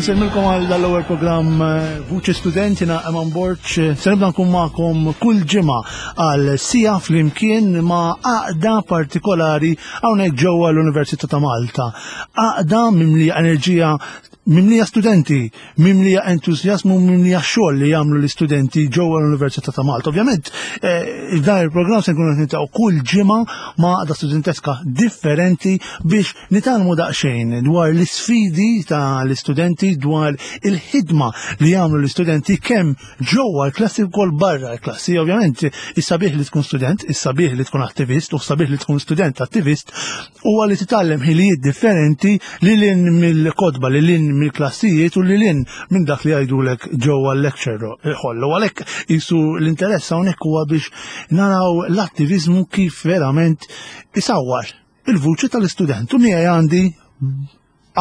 Insemmilkom għal dal-ewwel programm eh, Vuċi Student jiena Eman Borg. Se nibda nkun magħkom kull ġimgħa għal sija flimkien ma' għaqda partikolari hawnhekk ġewwa l-Università ta' Malta. Għaqda mimlija enerġija mimlija studenti, mimlija entużjażmu, mimlija xogħol li jagħmlu l-istudenti ġewwa l-Università ta' Malta. Ovvjament, eh, dan il-programm se nkunu qed kull ġimgħa ma' għaqda studenteska differenti biex Nitgħallmu daqsxejn dwar l-isfidi ta' l-istudenti dwar il-ħidma li jagħmlu l-istudenti kemm ġewwa l-klassi wkoll barra l-klassi. Ovvjament, is-sabiħ li tkun student, is-sabiħ li tkun attivist u sabiħ li tkun student attivist huwa li titgħallem ħilijiet differenti li lin mill-kotba, li lin mill-klassijiet u li lin minn dak li jgħidulek ġewwa l-lecture hall. U għalhekk jisu l-interess hawnhekk huwa biex naraw l-attiviżmu kif verament isawwar il-vuċi tal-istudent u miegħi għandi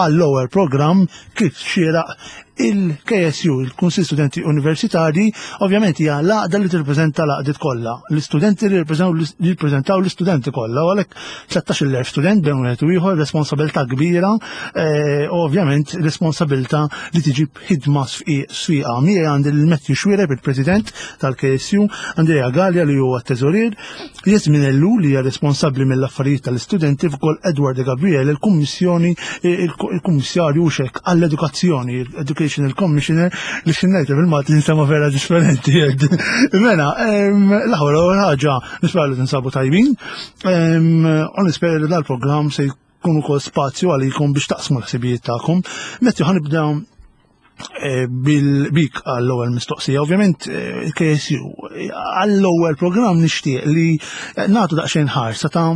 għall-ewwel programm kif xieraq il-KSU, il-Kunsil Studenti Universitarji, ovvjament hija l-għaqda li tirrepreżenta l-għaqdiet kollha, l-istudenti li jirrepreżentaw l-istudenti kollha, u għalhekk 13,000 student bejn wieħed u ieħor, responsabilità kbira, eh, u ovvjament responsabilità li tiġi b'ħidma sfiqa. Miegħi għandi l-Matthew Xuereb, il-President tal-KSU, Andrea Gallia li huwa t-Teżorier, Jasmin Ellul li hija responsabbli mill-affarijiet tal-istudenti wkoll Edward De Gabriel, il-Kummissjoni il-Kummissarju xek għall-Edukazzjoni, Educational Commissioner, li xinnajt bil-Malti jinsema vera differenti. Mela, l-aħħar ewwel ħaġa nispera li tinsabu tajbin, u nispera li dal-programm se jkun ukoll spazju għalikom biex taqsmu l-ħsibijiet tagħkom. Matthew ħanibda eh, bil-bik għall-ewwel mistoqsija. Ovvjament eh, il-KSU għall-ewwel programm nixtieq li eh, nagħtu daqsxejn ħarsa ta'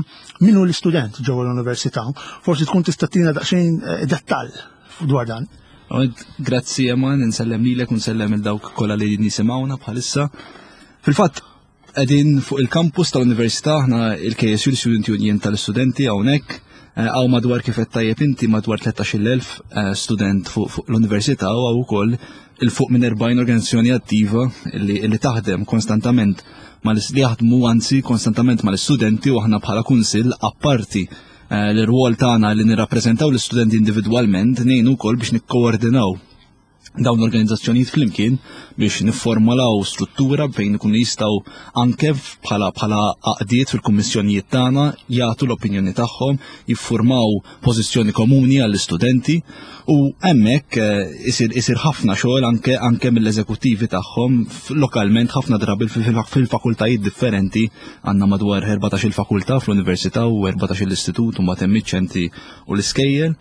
min hu l-istudent ġewwa l-università. Forsi tkun tista' tina daqsxejn dettall dwar dan. Grazzi Eman, insellem lilek u nsellem il dawk kollha li nisimgħuna bħalissa. Fil-fatt, Qegħdin fuq il-campus tal-Università, aħna il-KSU, l-Student Union tal-Istudenti hawnhekk. Eh, hawn madwar kif qed tajjeb inti madwar 13,000 eh, student fuq l-università u hawn ukoll il fuq minn 40 organizzazzjoni attiva li, li taħdem konstantament mal li jaħdmu anzi konstantament mal-istudenti u aħna bħala kunsill apparti eh, l-rwol tagħna li nirrappreżentaw l-istudenti individwalment ngħinu wkoll biex nikkoordinaw dawn l-organizzazzjonijiet flimkien biex nifformulaw struttura fejn ikunu jistgħu anke bħala bħala għaqdiet fil-kummissjonijiet tagħna jagħtu l-opinjoni tagħhom, jiffurmaw pożizzjoni komuni għall-istudenti u hemmhekk eh, isir isir ħafna xogħol anke anke mill-eżekuttivi tagħhom lokalment ħafna drabi fil-fakultajiet differenti għandna madwar 14 il-fakultà fl-università u 14 l-istitut u mbagħad hemm iċ-ċentri u l-iskejjel.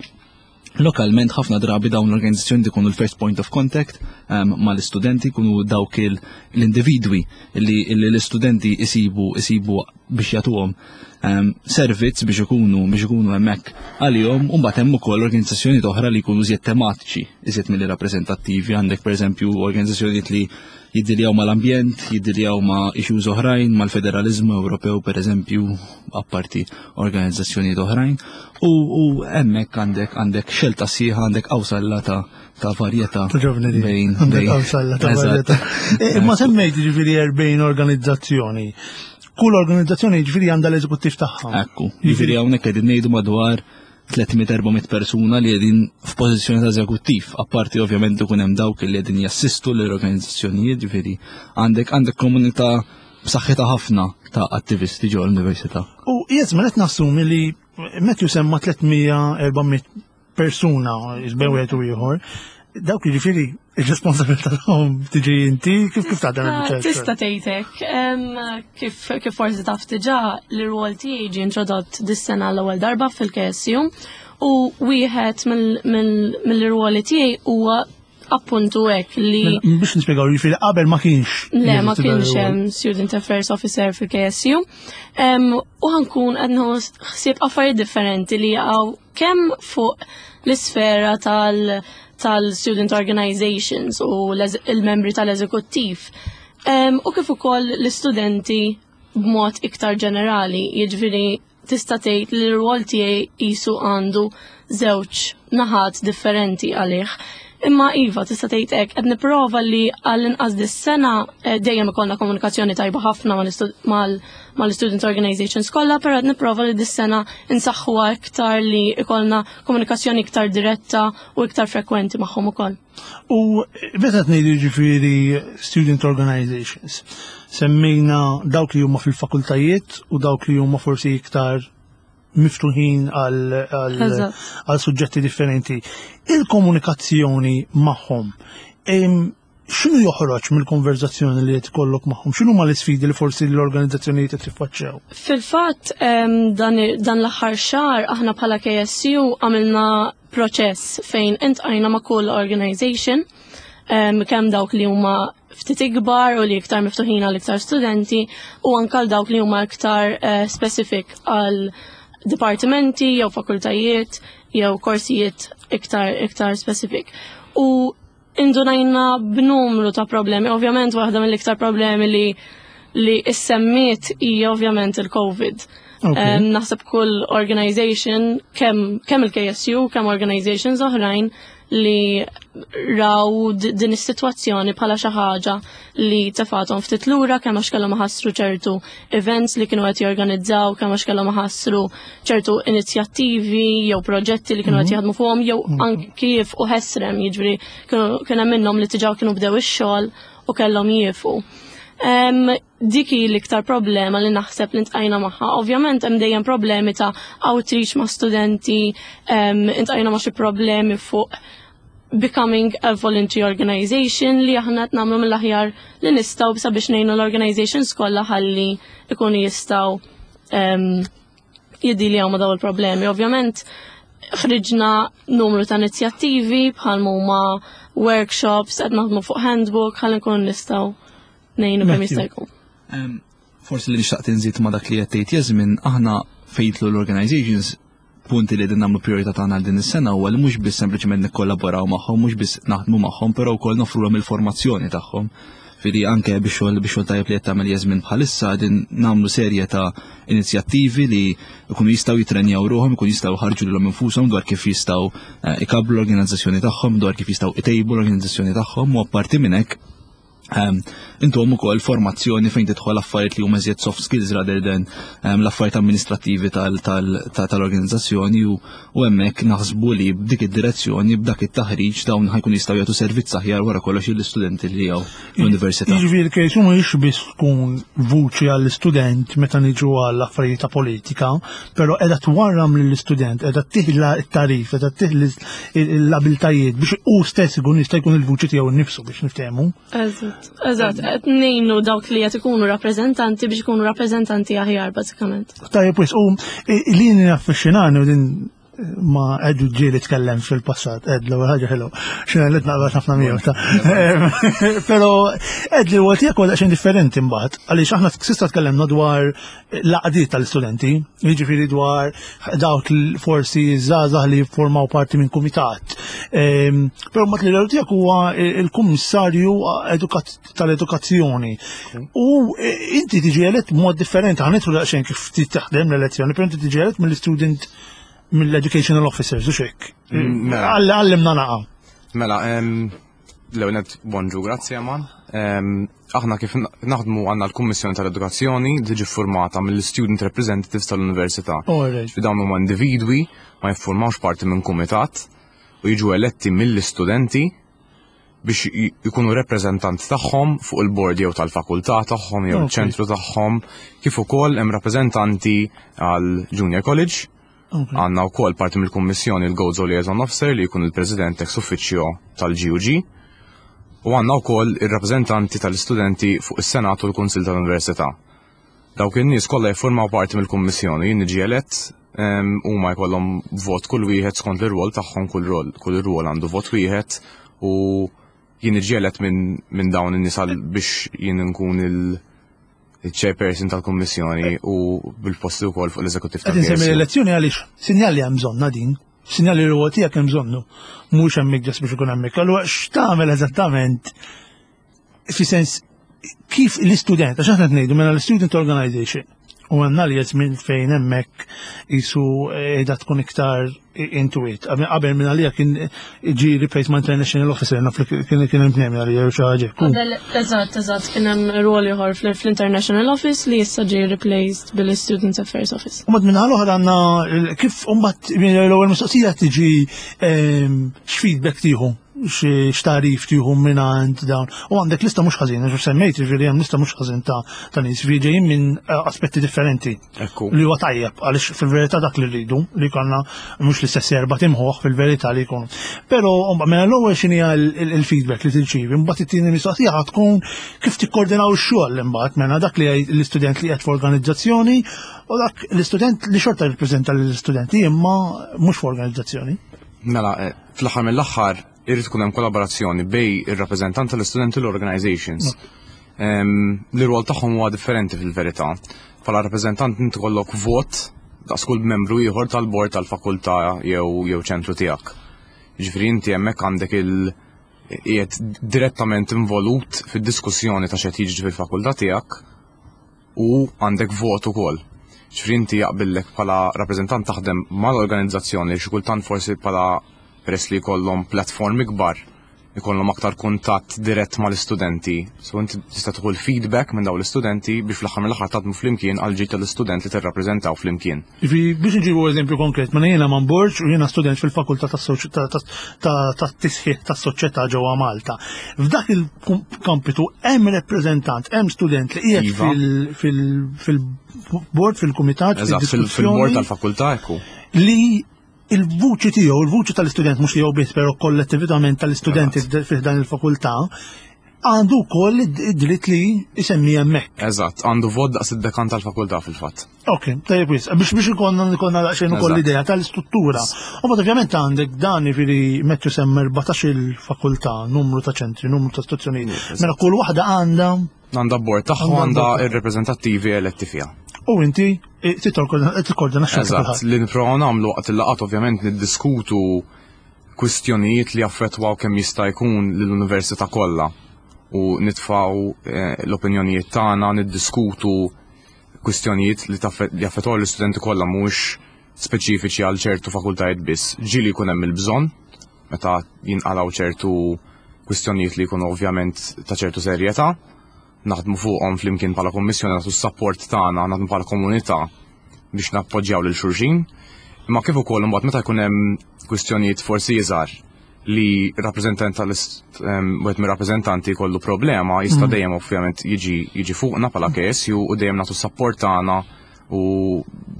Lokalment ħafna drabi dawn l-organizzazzjoni ikunu l-first point of contact um, mal-istudenti, jkunu dawk l-individwi li l-istudenti isibu isibu biex jagħtuhom um, servizz biex ikunu biex ikunu hemmhekk għalihom u mbagħad hemm ukoll organizzazzjoni oħra li jkunu iżjed tematiċi, iżjed milli rappreżentattivi, għandek pereżempju organizzazzjonijiet li jiddiljaw mal-ambjent, jiddiljaw ma' issues oħrajn, mal-federalizmu Ewropew pereżempju, apparti organizzazzjonijiet oħrajn. U, u hemmhekk għandek għandek xelta sieħa, għandek qawsalla ta' ta' varjetà bejn. Għandek qawsalla ta' varjetà. E, imma semmejt ġifieri 40 organizzazzjoni. Kull organizzazzjoni ġifieri għandha l-eżekuttiv tagħha. Ekku, ġifieri hawnhekk qegħdin ngħidu madwar 300-400 persuna li qegħdin f'pożizzjoni ta' eżekuttiv, apparti ovvjament ikun hemm dawk li qegħdin jassistu l-organizzazzjonijiet, ġifieri għandek għandek komunità b'saħħitha ħafna ta' attivisti ġo l-università. U jizmen qed nassumi li Matthew semma 300-400 persuna bejn wieħed u ieħor. Dawk jiġifieri ir-responsabilità tagħhom tiġi inti kif kif taħdem ah, il-biċċa. Tista' tgħidek kif kif forsi taf diġà l-rwol tiegħi ġie introdott dis-sena l-ewwel darba fil-KSU u wieħed mill-rwoli tiegħi huwa appuntu hekk li. Mela, biex nispjegaw jiġifieri qabel ma kienx. Le, ma kienx hemm Student Affairs Officer fil-KSU. U ħankun qed ħsieb affarijiet differenti li jaqgħu kemm fuq l-isfera tal- tal-student organizations u l-membri tal-eżekuttiv. U kif ukoll l-istudenti b'mod iktar ġenerali, jiġifieri tista' tgħid li l-rwol tiegħi qisu għandu żewġ naħat differenti għalih. Imma iva, tista' tgħid hekk, qed nipprova li għall-inqas dis-sena eh, dejjem ikollna komunikazzjoni tajba ħafna mal-student organizations kollha, però qed nipprova li dis-sena insaħħuha iktar li ikollna komunikazzjoni iktar diretta u iktar frekwenti magħhom ukoll. U meta ngħidu ġifieri student organizations, semmejna dawk li huma fil-fakultajiet u dawk li huma forsi iktar miftuħin għal suġġetti differenti. Il-komunikazzjoni magħhom, x'inhu joħroġ mill-konverzazzjoni li qed ikollok magħhom? X'inhu ma l-isfidi li forsi l-organizzazzjonijiet qed jiffaċċjaw? Fil-fatt dan l-aħħar xahar aħna bħala KSU għamilna proċess fejn intqajna ma' kull organization kemm dawk li huma ftit ikbar u li iktar miftuħin għal iktar studenti u anke għal dawk li huma iktar eh, specific għal dipartimenti jew fakultajiet jew korsijiet iktar iktar specific. U indunajna b'numru ta' problemi. Ovvjament waħda mill-iktar problemi li li issemmiet hija ovvjament il-COVID. Okay. Um, naħseb kull organization, kemm kem il-KSU, kemm organizations oħrajn li raw din is-sitwazzjoni bħala xi ħaġa li tefathom ftit lura kemm għax kellhom iħassru ċertu events li kienu qed jorganizzaw, kemm għax kellhom iħassru ċertu inizjattivi jew proġetti li kienu qed mhm. jaħdmu fuqhom jew mhm. anki jifqu ħesrem, jiġri kien hemm minnhom li diġà kienu bdew ix-xogħol u kellhom jiefu. Dik hi l-iktar problema li naħseb li ntqajna magħha. Ovvjament hemm dejjem problemi ta' outreach ma' studenti, intqajna ma' xi problemi fuq becoming a voluntary organization li aħna qed nagħmlu mill-aħjar li nistgħu sabiex ngħinu l-organizations kollha ħalli ikunu jistgħu jiddiljaw ma' daw il-problemi. Ovvjament ħriġna numru ta' inizjattivi bħal huma workshops, qed naħdmu fuq handbook ħalli nkunu nistgħu ngħinu kemm jista' jkun. Forsi li nixtaq tinżid ma' dak li qed tgħid Jasmin, aħna fejtlu l-organizations punti li din nagħmlu priorità tagħna għal din is-sena huwa li mhux biss sempliċement nikkollaboraw magħhom, mhux biss naħdmu magħhom, però wkoll nofrulhom il-formazzjoni tagħhom. Fidi anke biex xogħol biex xogħol tajjeb li qed tagħmel Jasmin bħalissa din nagħmlu serje ta' inizjattivi li jkunu jistgħu jitrenjaw ruħhom, jkunu jistgħu ħarġu lilhom infushom dwar kif jistgħu eh, ikabbru l-organizzazzjoni tagħhom, dwar kif jistgħu itejbu l-organizzazzjoni tagħhom u apparti minn hekk Ehm, intom ukoll formazzjoni fejn tidħol affarijiet li huma iżjed soft skills rather than ehm, l-affarijiet amministrattivi tal-organizzazzjoni u hemmhekk naħsbu li b'dik id-direzzjoni b'dak it-taħriġ dawn ħajkun jistgħu jagħtu servizz aħjar wara kollox lill-istudenti li jew l-università. Jiġifieri kejsu mhux biss tkun vuċi għall-istudent meta niġu għall affarijiet ta' politika, però qiegħda twarram lill-istudent, qiegħda tiħla t-tarif, qiegħda tiħla l-abiltajiet biex hu stess ikun jista' jkun il-vuċi tiegħu nnifsu biex niftehmu. Eżatt, eżatt, qed ngħinu dawk li qed ikunu rappreżentanti biex ikunu rappreżentanti aħjar bażikament. Tajjeb wis, u li naffaxxinani u din ma Edu ġieli tkellem fil-passat, Ed l-ewwel ħaġa ħelu, xina li tnaqbad ħafna miegħu ta' Però Ed li huwa tiegħek huwa daqsxejn differenti mbagħad, għaliex aħna sista tkellemna dwar l-għaqdiet tal-istudenti, jiġifieri dwar dawk forsi żgħażagħ li jiffurmaw parti minn kumitat. Ehm, però mat li l tiegħek huwa il-kummissarju tal-edukazzjoni. U e, inti tiġi elett b'mod differenti, ħanitru daqsxejn kif taħdem l-elezzjoni, però inti tiġi elett mill-student mill-educational officers, u xek. Mm, mela. Għallimna naqa. Mela, l-ewwel bonġu, grazzi Aman. Aħna kif naħdmu għandna l-Kummissjoni tal-Edukazzjoni li tiġi ffurmata mill-Student Representatives tal-Università. Fi dawn huma individwi ma jiffurmawx parti minn kumitat u jiġu eletti mill-istudenti biex ikunu rappreżentanti tagħhom fuq il-bord jew tal-fakultà tagħhom jew ċentru tagħhom kif ukoll hemm rappreżentanti għal Junior College Għandna wkoll parti mill-Kummissjoni l-Gozo Liaison Officer li jkun il-President ex officio tal-GUG u għandna wkoll ir-rappreżentanti tal-istudenti fuq is-Senat u l-Kunsill tal-Università. Dawk in-nies kollha jiffurmaw parti mill-Kummissjoni, jien niġi elett huma jkollhom vot kull wieħed skont l-irwol tagħhom kull rol, kull irwol għandu vot wieħed u jien niġi elett minn min dawn in-nies biex jien nkun il- il-chairperson tal-Kummissjoni u bil-posti wkoll fuq l-eżekuttiv tal Qed l-elezzjoni għaliex sinjal li hemm bżonna din, sinjal li huwa tiegħek hemm bżonnu, mhux hemmhekk ġas biex ikun hemmhekk. Allura x'tagħmel eżattament fi sens Kif l-istudent, għax aħna ngħidu mela l-student organization, u għanna li minn fejn hemmhekk jisu qiegħda tkun iktar into it. Qabel minn għalija kien ġi replaced ma' International Officer, naf li kien kien hemm tnejn għalija jew xi ħaġa. Qabel, eżatt, eżatt, kien hemm rol ieħor fl-International Office li issa ġie replaced bil-Student Affairs Office. U minn l-oħra għandna kif mbagħad l-ewwel mistoqsija tiġi ehm, x'feedback tieħu x'tagħrif tieħu mingħand dawn. U għandek lista mhux ħażin, għax semmejt ġifieri hemm lista mhux ħażin ta' ta' nies li ġejjin minn eh, aspetti differenti. Ekku. Li huwa tajjeb għaliex fil-verità dak li rridu li jkollna mhux l-istess erba' timħuħ fil-verità li jkunu. Però mela l-ewwel x'inhi il-feedback li tirċievi, mbagħad it-tieni mistoqsija ħa tkun kif tikkoordinaw ix-xogħol imbagħad mela dak li l-istudent li qed f'organizzazzjoni u dak l-istudent li xorta jirrappreżenta lill-istudenti imma mhux f'organizzazzjoni. Mela, eh, fl-aħħar mill-aħħar irid ikun hemm kollaborazzjoni bej ir-rappreżentant tal-istudenti u l-organizations. L-rwol tagħhom huwa differenti fil-verità. Bħala rappreżentant inti kollok vot daqs kull membru ieħor tal-bord tal-fakultà jew jew ċentru tiegħek. Jiġifieri inti hemmhekk għandek il qiegħed direttament involut fid-diskussjoni ta' x'qed jiġri fil-fakultà tiegħek u għandek vot ukoll. Ġifieri inti jaqbillek bħala rappreżentant taħdem mal-organizzazzjoni li xi kultant forsi bħala peress li jkollhom platform ikbar ikollhom aktar kuntatt dirett mal-istudenti. So inti tista' tieħu l-feedback minn dawn l-istudenti biex fl-aħħar mill-aħħar taħdmu flimkien għal ġid tal-istudent li tirrappreżentaw flimkien. Ġifieri biex nġibu eżempju konkret, mela jiena man Borg u jiena student fil-fakultà tat-tisħiħ tas-soċjetà ġewwa Malta. F'dak il-kampitu hemm rappreżentant, hemm student li qiegħed Iva. fil-bord, fil-kumitat, Eżatt, fil-bord tal-fakultà ekku. Li il-vuċi tiegħu, il-vuċi tal-istudent mhux tiegħu biss, però kollettivament tal-istudenti fih dan il-fakultà, għandu wkoll id-dritt li jsemmi hemmhekk. Eżatt, għandu vot daqs id-dekan tal-fakultà fil-fatt. Ok, tajjeb wis, biex biex ikonna ikonna daqsxejn ukoll l-idea tal-istruttura. U bad ovvjament għandek dan jiġifieri Matthew semma 14 il-fakultà, numru ta' ċentri, numru ta' istituzzjonijiet. Mela kull waħda għandha Għandha bord tagħha għandha ir-repreżentattivi eletti fiha. U inti eh, tikkordina xogħol. Eżatt, li nipprovaw nagħmlu waqt il-laqgħat ovvjament niddiskutu kwistjonijiet li jaffettwaw kemm jista' jkun lill-università kollha u nitfgħu eh, l-opinjonijiet tagħna, niddiskutu kwistjonijiet li jaffettwaw l-istudenti kollha mhuwiex speċifiċi għal ċertu fakultajiet biss. Ġieli jkun hemm il-bżonn meta jinqalgħu ċertu kwistjonijiet li jkunu ovvjament ta' ċertu serjetà, naħdmu fuqhom flimkien bħala kummissjoni nagħtu s-sapport tagħna, naħdmu bħala komunità biex nappoġġjaw lil xulxin. Imma kif ukoll imbagħad meta jkun hemm kwistjonijiet forsi iżgħar li rappreżentant tal wieħed mir-rappreżentanti jkollu problema jista' mm. dejjem ovvjament jiġi jiġi fuqna bħala KSU u dejjem nagħtu s-sapport tagħna u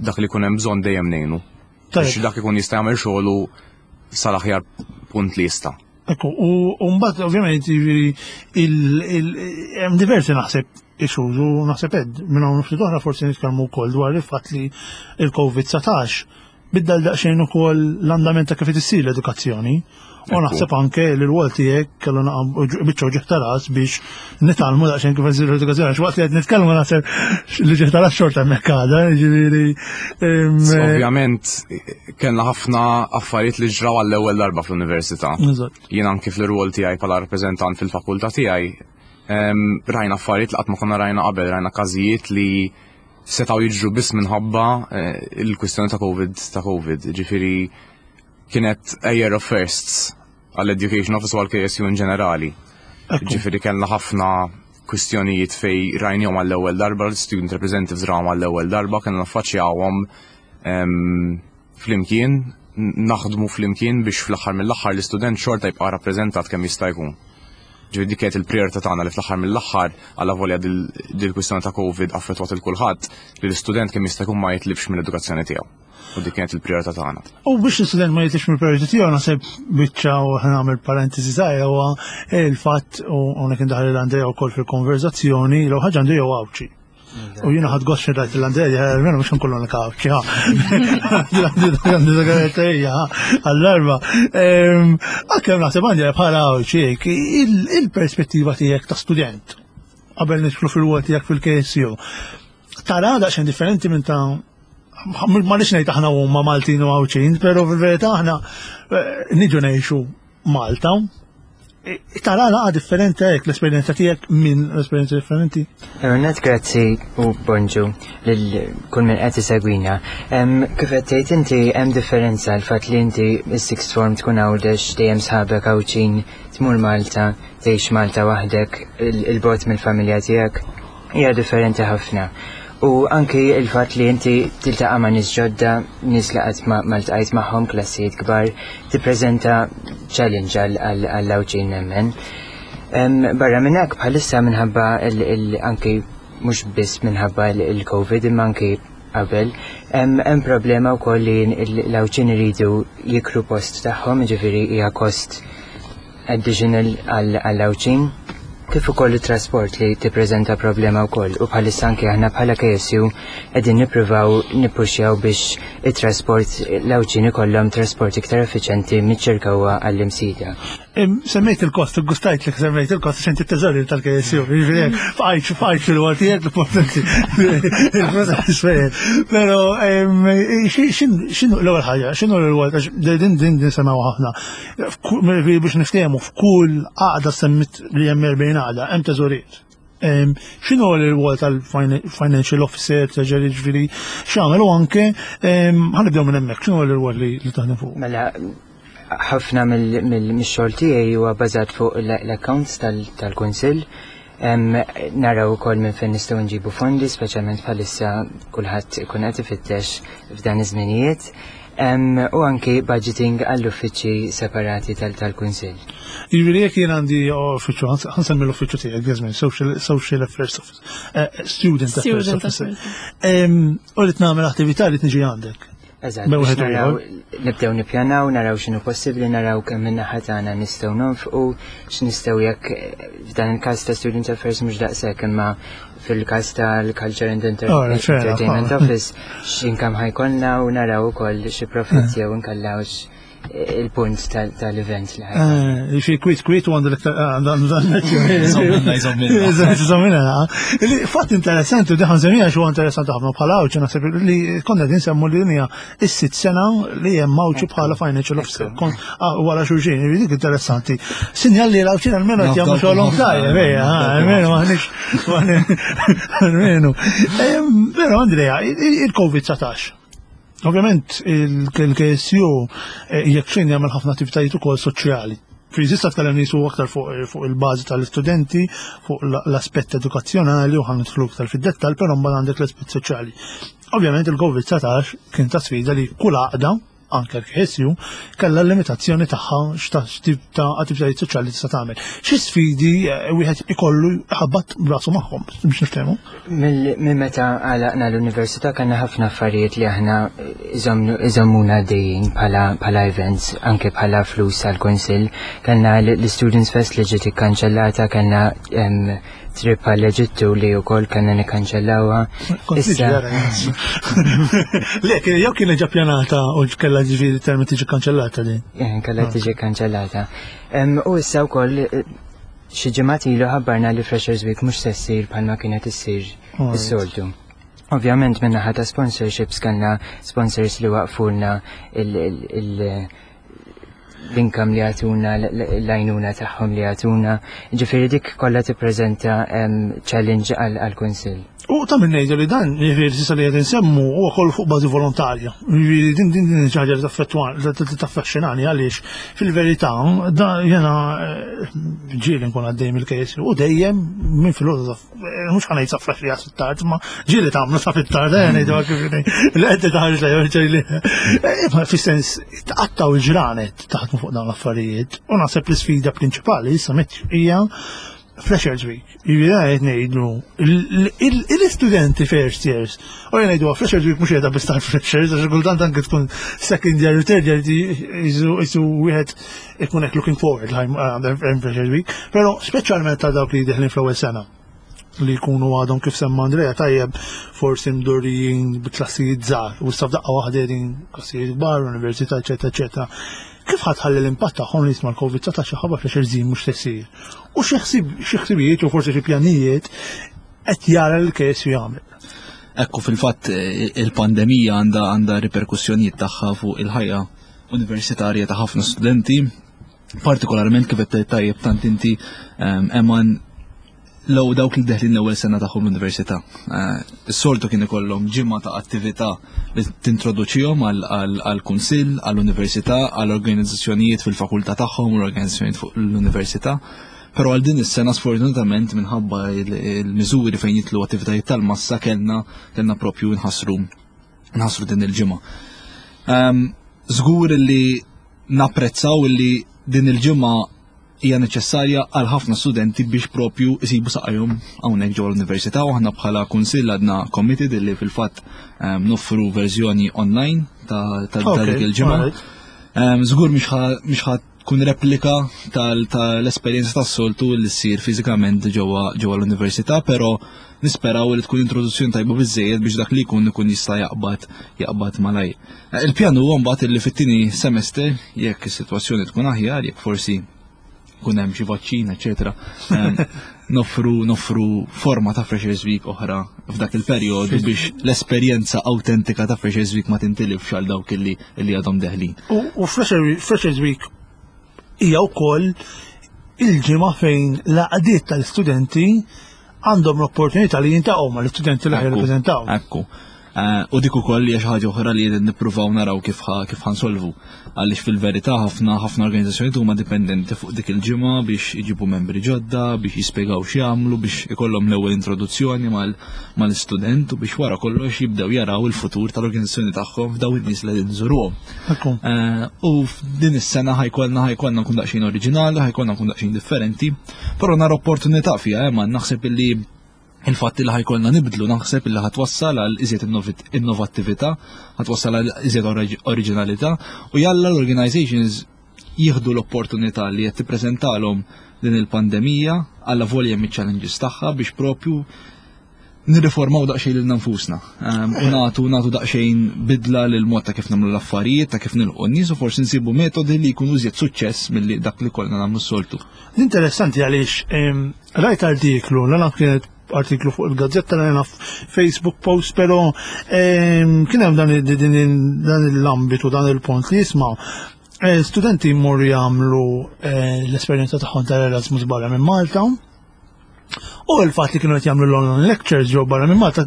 dak li jkun hemm bżonn dejjem ngħinu. Biex dak ikun jista' jagħmel xogħlu sal-aħjar punt li jista'. Ekku, u mbagħad ovvjament jiġifieri hemm diversi naħseb issues u naħseb ed minn hawn ftit oħra forsi nitkellmu wkoll dwar il-fatt li il-COVID-19 biddel daqsxejn ukoll l-andament ta' kif issir l-edukazzjoni. U naħseb anke li l-wol tiegħek kellu biċċa ġieħ ta' ras biex nitgħallmu daqsxejn kif issir l-edukazzjoni għax waqt li qed nitkellmu naħseb li ġieħ ta' ras xorta hemmhekk għadha, jiġifieri. Ovvjament kellna ħafna affarijiet li ġraw għall-ewwel darba fl-università. Jien anki fl-rwol tiegħi bħala rappreżentant fil-fakultà tiegħi rajna affarijiet li qatt ma konna rajna qabel, rajna każijiet li setgħu jiġru biss minħabba eh, il-kwistjoni ta' COVID ta' COVID. Ġifieri kienet a year of firsts għall-Education Office u għall-KSU in ġenerali. Ġifieri kellna ħafna kwistjonijiet fej rajnihom għall-ewwel darba, l-student representatives rawhom għall-ewwel darba, kellna naffaċċjawhom ehm, flimkien, naħdmu flimkien biex fl-aħħar mill-aħħar l-istudent xorta jibqa' rappreżentat kemm jista' jkun. Ġifieri dik kienet il-prijorità tagħna li fl-aħħar mill-aħħar għal volja dil-kwistjoni ta' COVID affettwat il kulħadd li l-istudent kemm jista' jkun ma jitlifx mill-edukazzjoni tiegħu. U dik kienet il-prijorità tagħna. U biex l-istudent ma jitlifx mill-prijorità tiegħu naħseb biċċa u nagħmel parentesi żgħira huwa il-fatt u hawnhekk indaħħal l-Andrea wkoll fil-konverzazzjoni l ħaġa Andrea huwa Għawdxi. U jiena ħadd gost rajt l-Andrea, mela mhux nkollu l Għawdxi, ha. Għall-arba. Għalkemm naħseb Andrea bħala Għawdxi il-perspettiva tiegħek ta' student qabel nidħlu fil-wol tiegħek fil-KSU. Tara daqsxejn differenti minn ta' ma nix ngħid aħna huma Maltin u Għawdxin, però fil-verità aħna eh, niġu ngħixu Malta. Tara laqa differenti hekk l-esperjenza tiegħek minn esperjenza differenti? Net grazzi u bonġu lil kull min qed isegwina. Kif qed tgħid inti hemm differenza l-fatt li inti is-sixth form tkun Għawdex dejjem sħabek Għawdxin tmur Malta, tgħix Malta waħdek, il-bogħod mill-familja tiegħek hija differenti ħafna. U anki il-fatt li inti tiltaqa' ma' nies ġodda, nies li qatt ma ltqajt magħhom, klassijiet kbar, tippreżenta challenge għall-Għawdxin nemmen. Barra minn hekk bħalissa minħabba anki mhux biss minħabba l-Covid imma anki qabel, hemm problema wkoll li l-Għawdxin iridu jikru post tagħhom, jiġifieri hija kost additional għall-Għawdxin, kif ukoll it-trasport li tippreżenta problema wkoll u bħalissa anke aħna bħala KSU qegħdin nippruvaw nippuxjaw biex it-trasport l-Għawdxin ikollhom trasport iktar effiċenti miċ-Ċirkewwa għall-Imsida. Semmejt il-kost, gustajt li semmejt il-kost, xenti t-teżori tal-KSU, jiġifieri fqajt fqajt fil-waqt tiegħek l-importanti. Però x'inhu l-ewwel ħaġa, x'inhu l-ewwel din din din semgħu ħafna. Biex niftehmu f'kull għaqda semmit li hemm 40 għaqda, hemm teżoriet. X'inhu l-rwol tal-financial officer, treasury, ġifieri, x'għamel u anke ħanibdew minn hemmhekk, x'inhu l-rwol li taħdem fuq? Mela, ħafna mill-xogħol tiegħi huwa bażat fuq l-accounts tal-Kunsill. Naraw ukoll minn fejn nistgħu nġibu fondi, speċjalment bħalissa kulħadd ikun qed ifittex f'dan iż-żminijiet. U anki budgeting għall-uffiċċji separati tal-Kunsill. Jiġifieri jekk jien għandi uffiċċju, ħansemmi l-uffiċċju tiegħek, Jasmine, Social Affairs Office, Student Affairs Officer. U li tnagħmel attività li tniġi għandek. Eżatt, nibdew nippjanaw, naraw x'inhu possibbli, naraw kemm minn naħa tagħna nistgħu nonfqu, x'nistgħu jekk f'dan il-każ ta' Student Affairs mhux daqshekk imma fil-każ tal-Culture and Entertainment Office x'inkam ħajkollna u naraw ukoll xi profitt jew inkellawx il-punt tal-event li ħajkollna. Eh, xi kwit kwit u għandu l-iktar Iżommina. Fatt interessanti u diħan semija xu interessanti ħafna bħala għawċi naħseb li konna din semmu li dinja is-sitt sena li hemm għawċi bħala financial officer. Ah, wara xulxin, dik interessanti. Sinjal li l-għawċin għalmenu qed jagħmlu xogħolhom tajjeb, ejja, almenu maħniex almenu. Però Andrea, il-Covid-19. Ovvjament il-KSU eh, jekk xejn jagħmel ħafna attivitajiet ukoll soċjali. Frizista tkellem nisu aktar fuq il-bażi tal-istudenti, fuq l-aspett edukazzjonali u ħan nidħlu aktar fid-dettall, però mbagħad għandek l-aspett soċjali. Ovvjament il-Covid-19 kien ta' sfida li kull għaqda anke l-KSU, kellha l-limitazzjoni tagħha x'tip ta' attivitajiet soċjali tista' tagħmel. Xi sfidi eh, wieħed ikollu ħabbat brasu magħhom biex niftehmu? Minn meta għalaqna l-università kellna ħafna affarijiet li aħna iżommuna għaddejjin bħala events, anke bħala flus għall-kunsill. Kellna l-Students Fest li ġiet ikkanċellata, kellna trip għall-Eġittu li wkoll kellna nikkanċellawha. Issa. Le, jew kien ġa pjanata u kellha ġifieri termi tiġi kanċellata din. Eh, kellha tiġi kanċellata. U issa wkoll eh, xi ġimgħat ilu ħabbarna li Freshers Week mhux se ssir bħalma kienet issir is-soltu. Ovvjament minn naħa ta' sponsorships kellna sponsors li waqfulna il- l-income li għatuna, l-għajnuna tagħhom li għatuna. Ġifieri dik kollha tippreżenta challenge għall-Kunsill. U ta' minn ngħidu li dan, jiġifieri s'issa li qed insemmu huwa kollu fuq bażi volontarja. Jiġifieri din din din xi ħaġa li taffettwa li taffaxxinani għaliex fil-verità da jiena eh, ġieli nkun għaddej mill-KSU u dejjem minn filgħodu eh, mhux ħa ngħid sa flaxija tard, ma ġieli tagħmlu sa fit-tard, eh, ngħidu kif li qed taħarġ lejn eh, fis-sens tqattaw il-ġranet taħdmu fuq dawn l-affarijiet u naħseb l-isfida prinċipali issa hija Freshers Week. Jiġifieri qed ngħidu l-istudenti first years. U jien ngħidu Freshers Week mhux qiegħda biss tal-freshers għax kultant anke tkun second year u third year jisu wieħed ikun hekk looking forward għal Freshers Week, però speċjalment ta' dawk li deħlin fl-ewwel sena li jkunu għadhom kif semma Andrea tajjeb forsi mdorrijin bi klassijiet żgħar u issa f'daqqa waħda qegħdin klassijiet kbar, università, eċetera, eċetera. Kif ħa tħalli l-impatt tagħhom li jisma' l-Covid-19 xi ħaġa fl żin mhux se ssir? U xi ħsibijiet u forsi xi pjanijiet qed jara l-KSU jagħmel? Ekku fil-fatt il-pandemija għandha għandha riperkussjonijiet tagħha fuq il-ħajja universitarja ta' ħafna studenti. Partikolarment kif qed tajjeb tant inti Eman l dawk li deħlin l-ewwel sena tagħhom l-università. Eh, is-soltu kien ikollhom ġimgħa ta' attività li tintroduċihom għall-kunsill, għall-università, għall-organizzazzjonijiet fil-fakultà tagħhom u l-organizzazzjonijiet fuq l-università. Però għal din is-sena sfortunatament minħabba il-miżuri fejn jitlu attivitajiet tal-massa kellna kellna propju nħassru nħassru din il-ġimgħa. Ehm, żgur li napprezzaw li din il-ġimgħa hija neċessarja għal ħafna studenti biex propju jsibu saqajhom hawnhekk ġewwa l-università u aħna bħala kunsill għadna committed li fil-fatt ehm, noffru verżjoni online ta' dik il-ġimgħa. Ehm, żgur mhix ħa tkun replika tal-esperjenza tas-soltu li ssir fiżikament ġewwa l-università, però nisperaw li tkun introduzzjoni tajba biżejjed biex dak li jkun ikun jista' jaqbad jaqbad malaj. Il-pjan huwa mbagħad li fit-tieni semester jekk is-sitwazzjoni tkun aħjar, jekk forsi kun hemm xi vaċċin, eċetera, noffru noffru forma ta' Freshers Week oħra f'dak il-perjodu biex l-esperjenza awtentika ta' Freshers Week ma tintilifx għal dawk illi li għadhom deħlin. U Freshers Week hija wkoll il-ġimgħa fejn l-għaqdiet tal-istudenti għandhom l-opportunità li jintaqgħu mal-istudenti li jirrappreżentaw. Ekku. Eh, u dik ukoll hija xi ħaġa oħra li nippruvaw naraw kif kif ħansolvu. Għaliex fil-verità ħafna ħafna organizzazzjonijiet huma dipendenti fuq dik il-ġimgħa biex iġibu membri ġodda, biex jispjegaw x'jagħmlu, biex ikollhom l-ewwel introduzzjoni mal-istudent u biex wara kollox jibdew jaraw il-futur tal-organizzazzjoni tagħhom f'daw in-nies li qegħdin iżuruhom. Eh, u f'din is-sena ħajkollna ħajkollna nkun daqsxejn oriġinali, ħajkollna nkun daqsxejn differenti, però nara opportunità fiha, eh, ma naħseb illi il-fatt li ħajkollna nibdlu naħseb illi ħatwassal għal iżjed innovattività, ħatwassal għal iżjed oriġinalità u jalla l-organizations jieħdu l-opportunità li qed tippreżentalhom din il-pandemija għalla volja miċ-challenges tagħha biex propju nirriformaw daqsxejn lil nfusna ehm, u nagħtu nagħtu daqsxejn bidla lil mod ta' kif nagħmlu l-affarijiet, ta' kif nilqu n-nies u forsi nsibu metodi li jkunu iżjed suċċess milli dak li kollna nagħmlu s-soltu. Interessanti għaliex ehm, rajt artiklu, l kienet artiklu fuq il-gazzetta l Facebook post, pero ehm, kien hemm dan l-ambitu, dan il-punt li jisma' eh, studenti jmorru jagħmlu eh, l-esperjenza tagħhom tal-Erasmus barra minn Malta U l-fatt li kienu qed jagħmlu l-online lectures ġew barra minn Malta,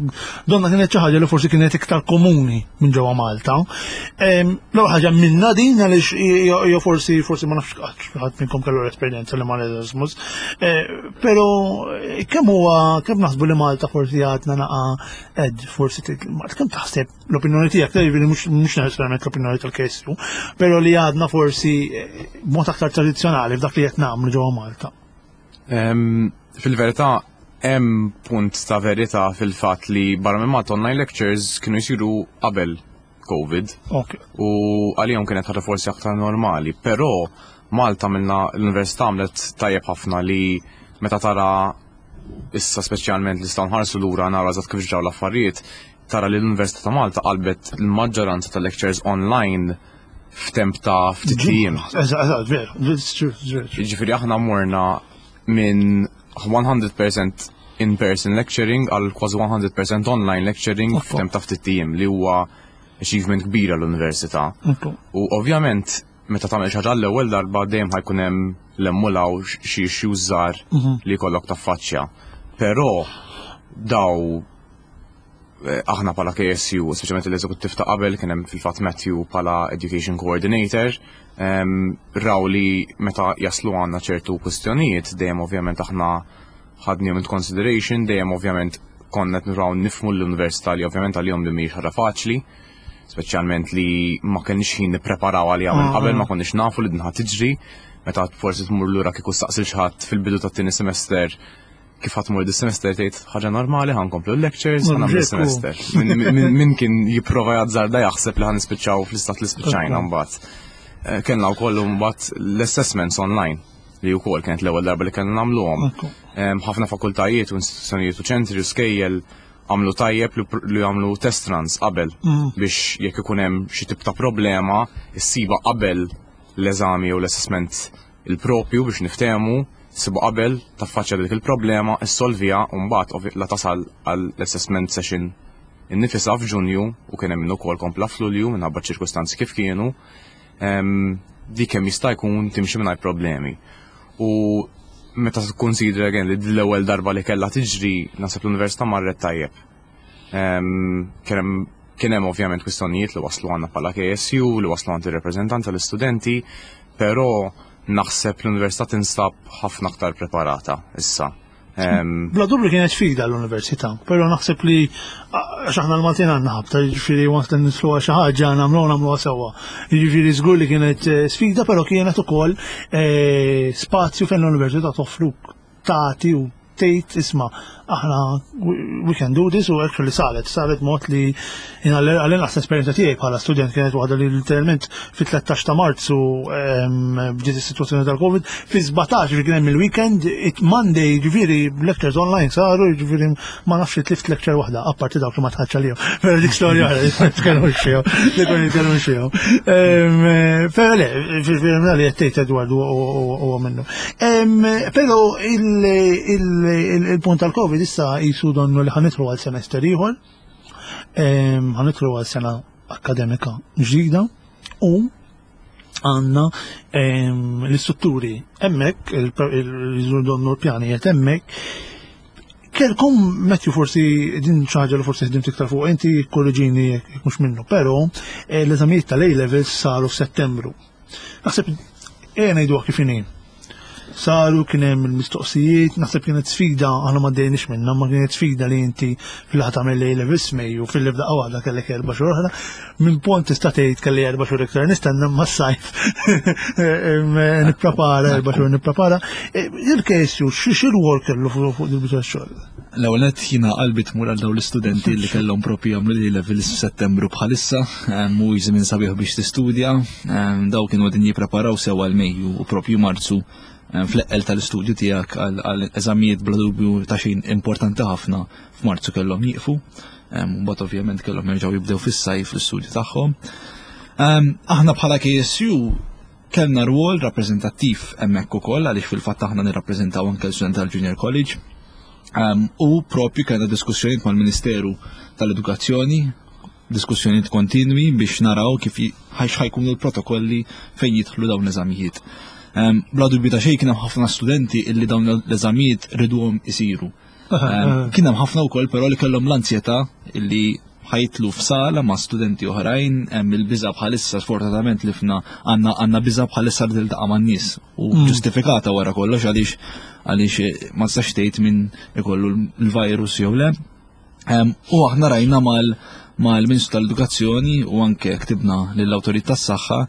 donna kienet xi ħaġa li forsi kienet iktar komuni minn ġewwa Malta. L-ewwel ħaġa minna din għaliex jew forsi forsi ma nafx ħadd minnkom kellu l-esperjenza li mal Erasmus. Eh, però eh, kemm huwa kemm naħsbu li Malta forsi għadna naqa' ed forsi kemm taħseb l-opinjoni tiegħek, jiġifieri mhux neċessarjament l-opinjoni tal-KSU, però li għadna forsi eh, mod aktar tradizzjonali f'dak li qed nagħmlu ġewwa Malta. Fil-verità, hemm punt ta' verità fil-fatt li barra minn Malta online lectures kienu jsiru qabel COVID. Okay. U għalihom kienet ħaġa forsi aktar normali, però Malta minna l-università għamlet tajjeb ħafna li meta tara issa speċjalment li nistgħu nħarsu lura nara eżatt kif ġraw l-affarijiet, tara li l-Università ta' Malta qalbet il-maġġoranza tal-lectures online f'temp ta' ftit jiem. Eżatt, veru, veru. Jiġifieri aħna morna minn 100% in-person lecturing għal kważi 100% online lecturing f'temp ta' ftit jiem li huwa achievement kbira l-università. U ovvjament meta tagħmel xi ħaġa l-ewwel darba dejjem ħajkun hemm l-emmulaw xi issues żgħar mhm. li jkollok taffaċċja. Però daw Eh, aħna pala KSU, speċjalment l-eżekuttiv ta' qabel kien hemm fil-fatt Matthew pala Education Coordinator, ehm, raw li meta jaslu għandna ċertu kwistjonijiet, dejjem ovvjament aħna ħadnihom into consideration, dejjem ovvjament konna qed niraw nifmu l-università li ovvjament għalihom li mhijiex ħaġa faċli, speċjalment li ma kenniex ħin nippreparaw għaliha minn qabel, ma konniex nafu li din ħa tiġri, meta forsi tmur lura kieku staqsil xi ħadd fil-bidu tat-tieni semester kif ħadd mur dis-semester tgħid ħaġa normali ħa nkomplu l-lectures ħa nagħmlu semester. Min kien jipprova jazzarda jaħseb li ħa nispiċċaw fl-istat li spiċċajna mbagħad. Eh, kellna wkoll mbagħad l-assessments online li wkoll kienet l-ewwel darba li kellna nagħmluhom. Ħafna fakultajiet u istituzzjonijiet u ċentri u skejjel għamlu tajjeb li għamlu test runs qabel mm. biex jekk ikun hemm xi tip ta' problema issiba qabel l-eżami jew l-assessment il-propju biex niftehmu, ssibu qabel, taffaċċja dik il-problema, issolviha u mbagħad la tasal għall-assessment session innifisha f'Ġunju u kien hemm min ukoll kompla f'Lulju minħabba ċ-ċirkustanzi kif kienu. dik kemm jista' jkun timxi mingħajr problemi. U meta tikkunsidra again li l-ewwel darba li kellha tiġri naħseb l-università marret tajjeb. Kien hemm ovvjament kwistjonijiet li waslu għandna bħala KSU, li waslu għand ir-rappreżentant tal-istudenti, però naħseb l-università tinsab ħafna aktar preparata issa. Bla dubju kienet sfida l-università, però naħseb li għax aħna l-Maltin għandna ħabta, jiġifieri waqt li nitlu xi ħaġa nagħmluha nagħmluha sewwa. Jiġifieri żgur li kienet eh, sfida, però kienet ukoll eh, spazju fejn l-università toffruk tagħti u tgħid isma' aħna we can do this u actually saret, saret mod li għall-inqas l-esperjenza tiegħi bħala student kienet waħda li literalment fit-13 ta' Marzu bdiet is-sitwazzjoni tal-Covid, fi 17 ġifieri kien hemm il-weekend, it Monday ġifieri lectures online saru, ġifieri ma nafx li tlift lecture waħda, apparti dawk li ma tħadx għalihom. Però dik storja oħra li ma nitkellmux fihom, li ma nitkellmux fihom. Però le, ġifieri li qed tgħid Edward huwa minnu. Però il-punt tal-Covid issa jisu donnu li ħanitru għal semester ieħor, ħanitru għal sena akademika ġdida u għanna l-istrutturi emmek, il-donnu l-pjanijiet emmek, Kelkom, Matthew, forsi din ċaġa li forsi ħdimt iktar fuq, inti korreġini jekk mhux minnu, però eh, l-eżamijiet tal-A levels saru f'Settembru. Naħseb ejja ngħiduha kif inhi. Saru kien hemm il-mistoqsijiet, naħseb kienet sfida aħna ma dejniex minnha, ma kienet sfida li inti fil-ħa tagħmel A levels Mejju fil f'daqqa waħda kellek erba' xhur oħra. Minn pont tista' tgħid kelli erba' xhur iktar nistenna ma sajf nipprepara erba' xhur nipprepara. E, Il-KSU xi rwol kellu fuq il-biċċa xogħol? L-ewwel nett jiena qalbi tmur għal dawn l-istudenti li kellhom propju jagħmlu l levels f'Settembru bħalissa, mhuwiex żmien sabiħ biex tistudja, daw kienu qegħdin jippreparaw sew għal Mejju u propju Marzu fl-eqqel tal-istudju tiegħek għal eżamijiet bla dubju ta' xejn importanti ħafna f'Marzu kellhom jieqfu. Mbagħad ovvjament kellhom jerġgħu jibdew fis-sajf l-istudju tagħhom. Aħna bħala KSU kellna rwol rappreżentattiv hemmhekk ukoll għaliex fil-fatt aħna nirrappreżentaw anke l-student tal-Junior College. Um, u propju kellna diskussjonijiet mal-Ministeru tal-Edukazzjoni, diskussjonijiet kontinwi biex naraw kif ħajkunu l-protokolli fejn jidħlu dawn l-eżamijiet. Um, bla dubju ta' xejn kien hemm ħafna studenti illi dawn l-eżamijiet riduhom isiru. Um, kien hemm ħafna wkoll però li kellhom l-ansjetà illi ħajtlu f'sala ma' studenti oħrajn, hemm il-biża bħalissa sfortunatament li fna għandna għandna biża bħalissa li tiltaqa' man-nies u mm. ġustifikata wara kollox għaliex għaliex eh, ma tistax tgħid min ikollu l-virus jew le. U aħna rajna mal mal-Ministru tal-Edukazzjoni u anke ktibna lill-Awtorità tas-Saħħa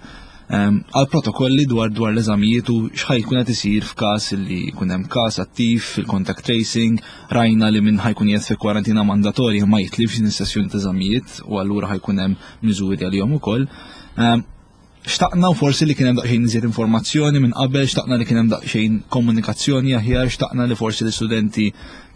għal protokolli dwar dwar l-eżamijiet u x'ħajkun qed isir f'każ li jkun hemm każ attiv fil-contact tracing, rajna li minn ħajkun qiegħed fi kwarantina mandatorja ma jitlifx din is-sessjoni ta' eżamijiet u allura ħajkun hemm miżuri għalihom ukoll. Xtaqna u forsi li kien hemm daqsxejn iżjed informazzjoni minn qabel, xtaqna li kien hemm daqsxejn komunikazzjoni aħjar, xtaqna li forsi l-istudenti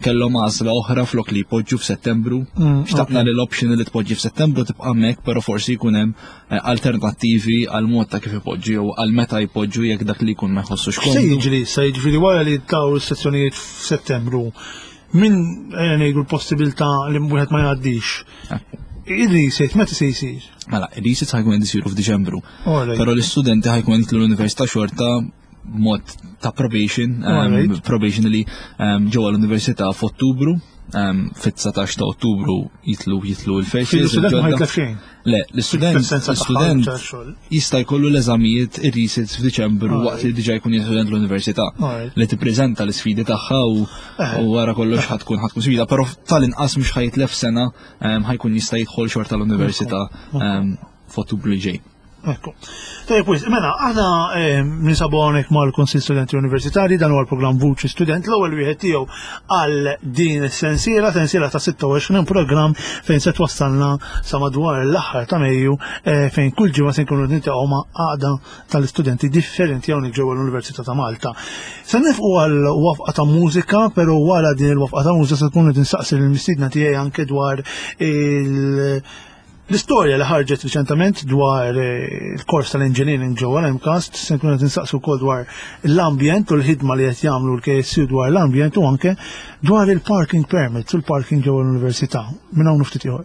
kellhom għażla oħra flok li jpoġġu f'Settembru. Mm, xtaqna li l-option li tpoġġi f'Settembru tibqa' hemmhekk, però forsi jkun hemm eh, alternattivi għal mod ta' kif ipoġġu jew għal meta jpoġġu jekk dak li jkun ma jħossux komdu. Se jiġri, se jiġri wara li taw is-sezzjonijiet f'Settembru Min eh, ngħidu l-possibilità li wieħed ma jgħaddix. Il-reset meta se jsir? Mela, il-reset ħajkun qed isiru f'Diċembru. Però l-istudenti ħajkun jitlu l-università xorta mod ta' probation, um, probation li um, ġewwa l-università f'Ottubru, um, fit-19 ta' Ottubru jitlu jitlu l-first years. L-istudent ma jitlef xejn. Le, l-istudent l-istudent jista' jkollu l-eżamijiet ir-resits f'Diċembru waqt li diġà jkun student l-università li tippreżenta l-isfidi tagħha u eh. wara kollox ħatkun ħatkun sfida, però tal-inqas mhux ħajtlef sena ħajkun jista' jidħol xorta l-università f'Ottubru li ġej. Ekku. Tajjeb, wis, mela, aħna eh, ninsabu hawnhekk mal-Kunsill Studenti Universitari, dan huwa l-programm Vuċi Student, l-ewwel wieħed tiegħu għal din is-sensiela, sensiela ta' 26 programm fejn se twassalna sa madwar l-aħħar ta' Mejju eh, fejn kull ġimgħa se nkunu niltaqgħu ma' għaqda tal-istudenti differenti hawnhekk ġewwa l-Università ta' Malta. Se nifqu għal wafqa ta' mużika, però wara din il-wafqa ta' mużika se tkun qed insaqsi lill-mistiedna tiegħi anke dwar il- L-istorja li ħarġet riċentament dwar eh, il-kors tal-engineering ġewwa l-MCAST se nkunu qed insaqsu wkoll dwar l-ambjent u l-ħidma li qed jagħmlu l-KSU dwar l-ambjent u anke dwar il-parking permits u l-parking ġewwa l-università. Minn hawn ftit ieħor.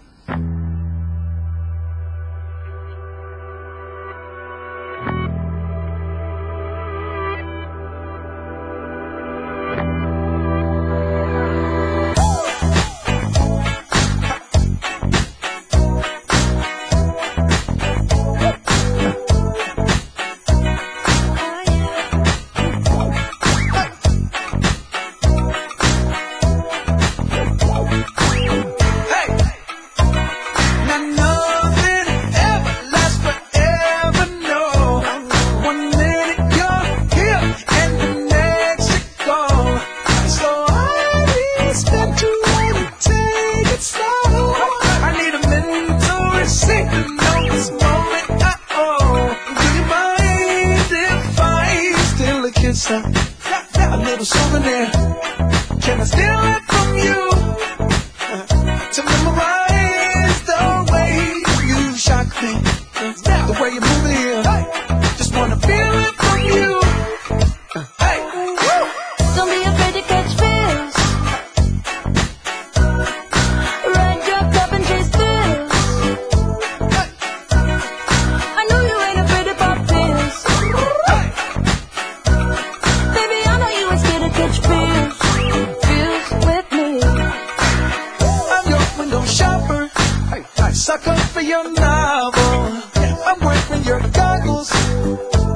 kiss, a little souvenir. Can I steal it from you? To memorize the way you shock me, the way you move it here. Just wanna feel it from you. Hey, woo! Don't be afraid to catch feels. Ride your cup and chase thrills. I know you ain't afraid to pop pills. Baby, I know you ain't scared to catch feels. Feels with me. I'm your window shopper. Sucker for your novel. I'm wearing your goggles.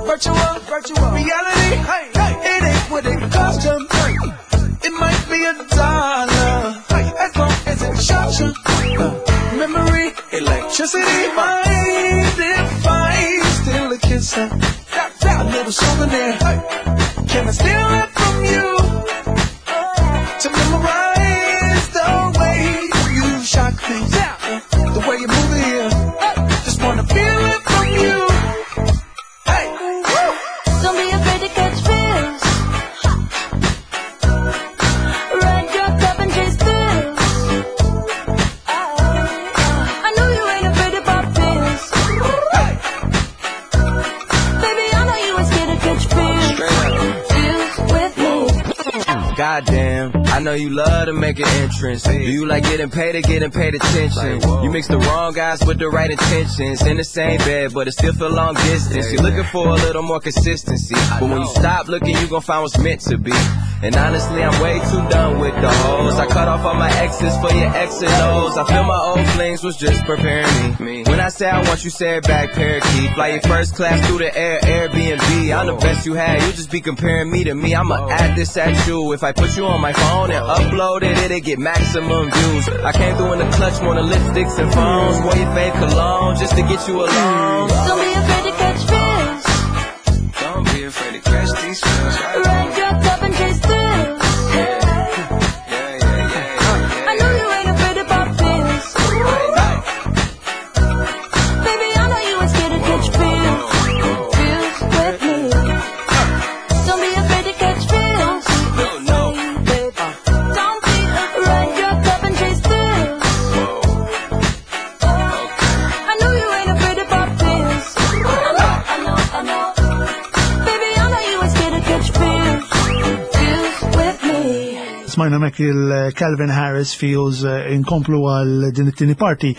Virtual, virtual reality. It ain't what it cost you. It might be a dollar. As long as it shocks you. Memory, electricity. Mind if I steal a kiss? A little souvenir. Can I steal it from you? To memorize the way you shock me, the way you move it here. Just wanna feel it from you. Hey, woo! Don't be afraid to catch feels. Ride your cup and chase thrills. I know you ain't afraid to pop pills. Baby, I know you ain't scared to catch feels. Feels with me. Goddamn, I know you love to make an entrance. Do you like getting paid or getting paid attention? You mix the wrong guys with the right intentions. In the same bed, but it still feel long distance. You're looking for a little more consistency. But when you stop looking, you gon' find what's meant to be. And honestly, I'm way too done with the hoes. I cut off all my exes for your X and O's. I feel my old flings was just preparing me. When I say I want you, say it back, parakeet. Fly your first class through the air, Airbnb. I'm the best you had. You just be comparing me to me. I'ma add this at you. If I put you on my phone and upload it, it'll get maximum views. I came through in the clutch, more than lipsticks and phones. Wore your fave cologne just to get you alone. Don't be afraid to catch feels. Don't be afraid to catch these feels. Ride your cup and chase thrills. Yeah, yeah, yeah, yeah. I know you ain't afraid to pop pills. Baby, I know you ain't scared to catch feels. Feels with me. Don't be afraid to catch feels. No, no. Don't be afraid. Ride your cup and chase thrills. I know you ain't afraid to pop pills. I know, I know, I know. Baby, I know you ain't scared to catch feels. Feels with me. Smajna mek il-Calvin Harris Feels inkomplu għal din it-tieni parti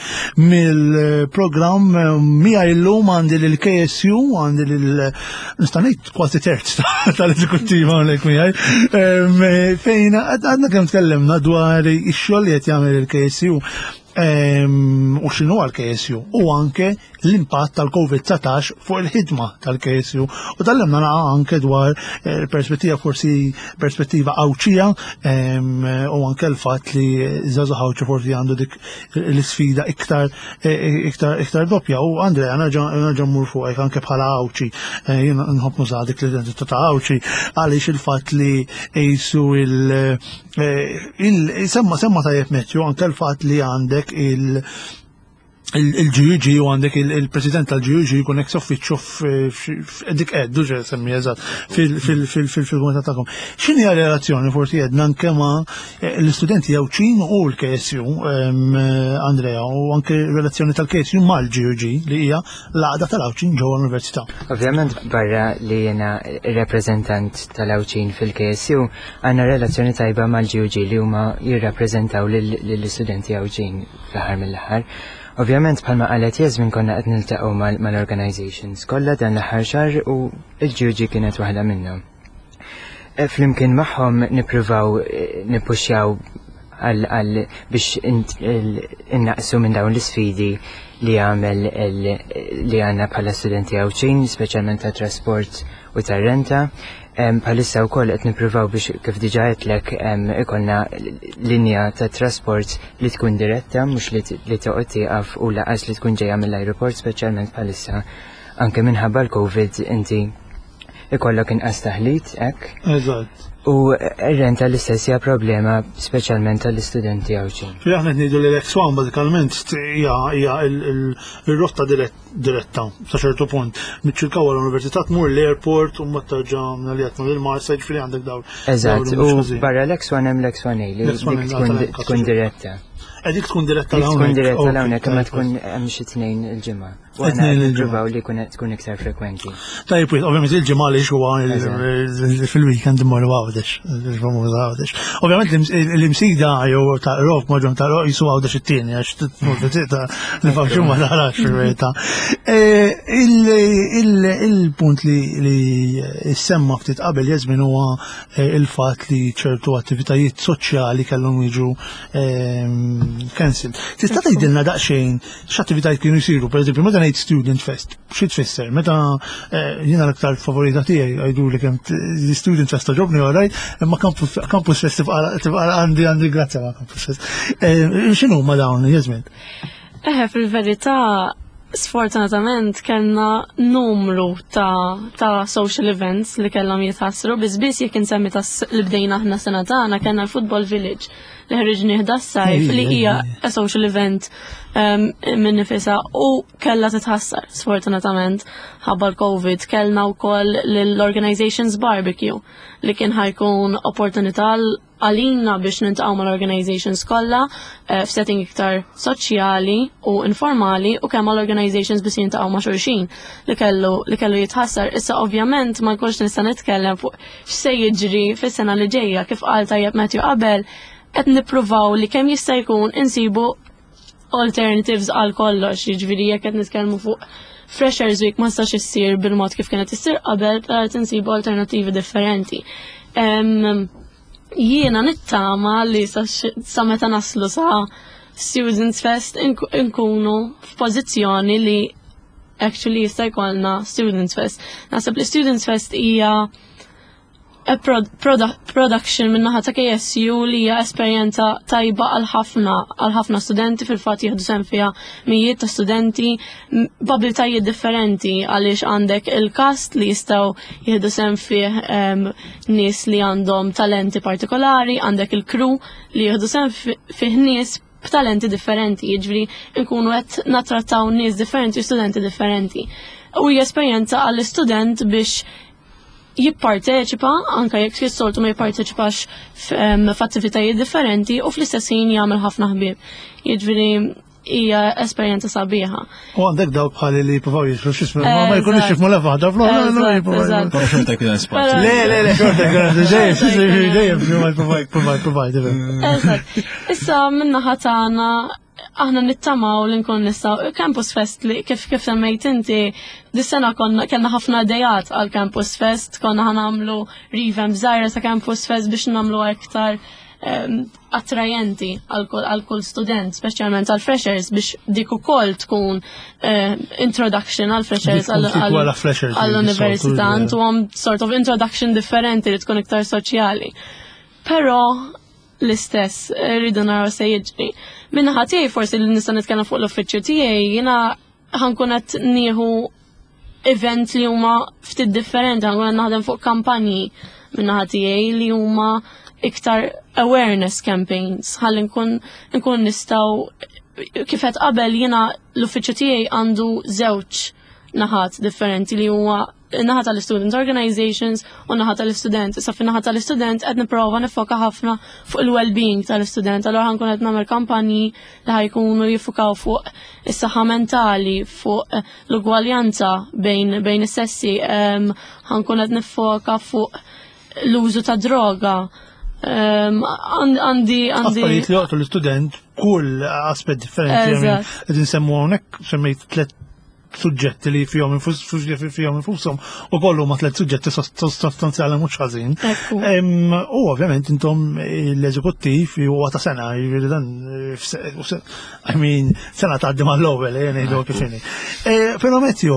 mill-programm mija illum għandi l-KSU għandi l nista' ngħid kważi terz tal-eżekuttiva hawnhekk miegħi fejn għadna kemm tkellimna dwar ix-xogħol li qed jagħmel il-KSU u x'inhu għall-KSU u anke l-impatt tal-COVID-19 fuq il-ħidma tal-KSU. U tkellimna naqa anke dwar perspettiva forsi perspettiva Għawdxija u anke l-fatt li żgħażagħ Għawdxi forsi għandu dik l-isfida iktar iktar iktar doppja. U Andrea, nerġa' mmur fuqek anke bħala Għawdxi. Jiena nħobb nuża dik l-identità ta' Għawdxi għaliex il-fatt li qisu il semma semma tajjeb Matthew anke l-fatt li għandek il-GUG u għandek il-president tal-GUG jkun ex officio dik qed duġe semmi eżatt fil-komitat tagħkom. X'inhi relazzjoni forsi jedna anke ma' l-istudenti Għawdxin u l-KSU, Andrea, u anke relazzjoni tal-KSU mal-GUG li hija l-għaqda tal-Għawdxin ġewwa l-Università. Ovvjament barra li jiena rappreżentant tal-Għawdxin fil-KSU, għandna relazzjoni tajba mal-GUG li huma jirrappreżentaw lill-istudenti Għawdxin fl-aħħar mill-aħħar. Ovvjament bħalma qalet Jasmin konna qed niltaqgħu mal-organizations kollha dan l-aħħar xahar u l-GUG kienet waħda minnhom. Flimkien magħhom nippruvaw nippuxjaw għal biex innaqsu minn dawn l-isfidi li għamel li għandna bħala studenti Għawdxin, speċjalment ta' trasport u tar-renta. Bħalissa wkoll qed nippruvaw biex kif diġà għedtlek ikollna linja ta' trasport li tkun diretta, mhux li toqgħod tieqaf u laqas li tkun ġejja mill-ajruport, speċjalment bħalissa anke minħabba l-Covid inti ikollok inqas taħlit hekk. Eżatt. U r-rent tal-istess hija problema speċjalment tal-istudenti Għawdxin. Ġifieri aħna qed ngħidu li l-X1 bażikament hija hija il-rotta diretta sa ċertu punt. Miċ-Ċirkewwa l-Università tmur l-airport u mbagħad terġa' li qed tmur il-Marsa, jiġifieri għandek dawn. Eżatt, u barra l-X1 hemm l-X1A li dik tkun diretta. Eh, dik tkun diretta l Tkun diretta l-hawnhekk imma tkun hemm xi tnejn il-ġimgħa. U aħna nippruvaw li tkun iktar frekwenti. Tajjeb, ovvjament il-ġimgħa li huwa fil-weekend immorru Għawdex, il-famuż Għawdex. Ovvjament l-imsida jew ta' rok maġun ta' rok jisu Għawdex it-tieni għax tmur ta' li faxxu ma tarax fil-verità. E, il-punt li semma ftit qabel jeżmin huwa e, il-fatt li ċertu attivitajiet soċjali kellhom jiġu e, cancelled. Tista' tgħidilna daqsxejn x'attivitajiet kienu jsiru, pereżempju, meta ngħid Student Fest, xi tfisser? Meta eh, jiena l-aktar favorita tiegħi għajdu li kemm Student Fest toġobni għarajt, imma Campus Fest tibqa' għandi għandi grazzja ma' Campus Fest. Eh, x'inhu ma dawn, Jasmin? Eħe, fil-verità, sfortunatament kellna numru ta', ta social events li kellhom jitħassru, biss biss jekk insemmi tas li bdejna aħna sena tagħna kellna l-Football Village li ħriġni s-sajf li hija a social event um, minn nifisa u kellha titħassar sfortunatament ħabba l-Covid kellna wkoll l-Organizations Barbecue li kien ħajkun opportunità għalina biex nintaqgħu mal-organizations kollha eh, f'setting iktar soċjali u informali u kemm mal-organizations biex jintaqgħu ma' xulxin li kellu li kellu jitħassar. Issa ovvjament ma nkunx nista' nitkellem fuq x'se jiġri fis-sena li ġejja kif qal tajjeb Matthew qabel qed nippruvaw li kemm jista' jkun insibu alternatives għal kollox, jiġifieri jekk qed nitkellmu fuq Freshers Week ma stax issir bil-mod kif kienet issir qabel, qed insibu alternativi differenti. Jiena nittama li sa meta naslu sa Students Fest inkunu f'pożizzjoni li actually jista' jkollna Students Fest. Naħseb li Students Fest hija a production min-naħa ta' KSU li hija esperjenza tajba għal ħafna għal ħafna studenti fil-fatt jieħdu sehem fiha mijiet ta' studenti b'abiltajiet differenti għaliex għandek il-kast li jistgħu jieħdu sehem fih nies li għandhom talenti partikolari, għandek il-crew li jieħdu sehem fih nies b'talenti differenti, jiġifieri nkunu qed nattrattaw nies differenti u studenti differenti. U hija esperjenza għall-istudent biex jipparteċipa, anka jekk fis-soltu ma jipparteċipax f'attivitajiet differenti u fl-istess ħin jagħmel ħafna ħbieb. Jiġifieri hija esperjenza sabiħa. U għandek dawk bħali li jippruvaw jisru x'ismu, ma jkunux jifmu la waħda fl-oħra. Però xorta jkun hemm spazju. Le, le, le, xorta jkun hemm dejjem, dejjem, provide, provide, provide. Eżatt. Issa minna tagħna aħna nittamaw li nkun nistgħu Campus Fest li kif kif semmejt inti dis-sena konna kellna ħafna idejat għal Campus Fest, konna ħanamlu revamp żgħira ta' Campus Fest biex nagħmlu iktar attrajenti għal kull student, speċjalment għal freshers biex dik ukoll tkun introduction għal freshers għall-università, għandhom sort of introduction differenti li tkun iktar soċjali. Però l-istess rridu naraw se jiġri. Minnaħa tiegħi forsi li nista' nitkellem fuq l-uffiċċju tiegħi jiena ħankun qed nieħu event li huma ftit differenti, ħankun qed naħdem fuq kampanji minnaħa tiegħi li huma iktar awareness campaigns ħalli nkun nkun nistgħu kif qed qabel jiena l-uffiċċju tiegħi għandu żewġ naħat differenti li huwa naħa tal-student organizations u naħa tal-istudent. Issa fin naħa tal-istudent qed nipprova nifoka ħafna fuq il-well-being tal-istudent. Allura ħankun qed nagħmel kampanji li ħajkunu jiffukaw fuq is-saħħa mentali, fuq l-ugwaljanza bejn bejn is-sessi, ħankun qed nifoka fuq l-użu ta' droga. Għandi għandi Affarijiet li joqtu l-istudent kull aspett differenti. Qed insemmu hawnhekk semmejt tliet suġġetti li fihom fihom infushom u kollu ma tliet suġġetti sostanzjali mhux ħażin. U ovvjament intom l-eżekuttiv huwa ta' sena, jiġifieri dan I mean, sena tgħaddi mal-ewwel eh, ngħidu kif inhi. Eh, però Matthew,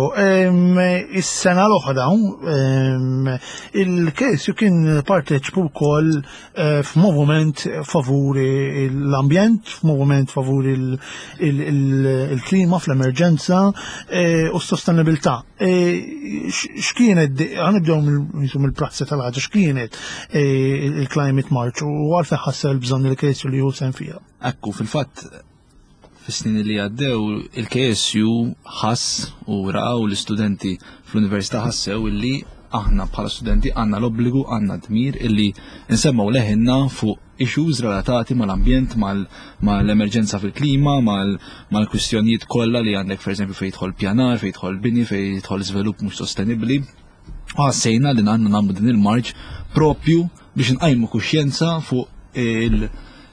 is-sena l-oħra il-KSU kien parteċipu wkoll Eh, f'moviment favuri l-ambjent, f'moviment favuri il-klima, fl-emerġenza. u s-sostenibilità. X'kienet, ħanibdew mill-prassi tal-ħaġa, x'kienet il-Climate March u għalfejn ħassew il-bżonn il-KSU li hu sehem fiha? Ekku, fil-fatt, fis-snin li għaddew il-KSU ħass u raqaw l-istudenti fl-università ħassew illi aħna bħala studenti għandna l-obbligu, għandna dmir illi nsemmaw leħinna fuq issues relatati mal-ambjent, mal-emerġenza fil-klima, mal-kwistjonijiet kollha li għandek pereżempju fejn jidħol pjanar, fejn jidħol bini, fejn jidħol żvilupp mhux sostenibbli. U ħassejna li għandna nagħmlu din il-marċ propju biex nqajmu kuxjenza fuq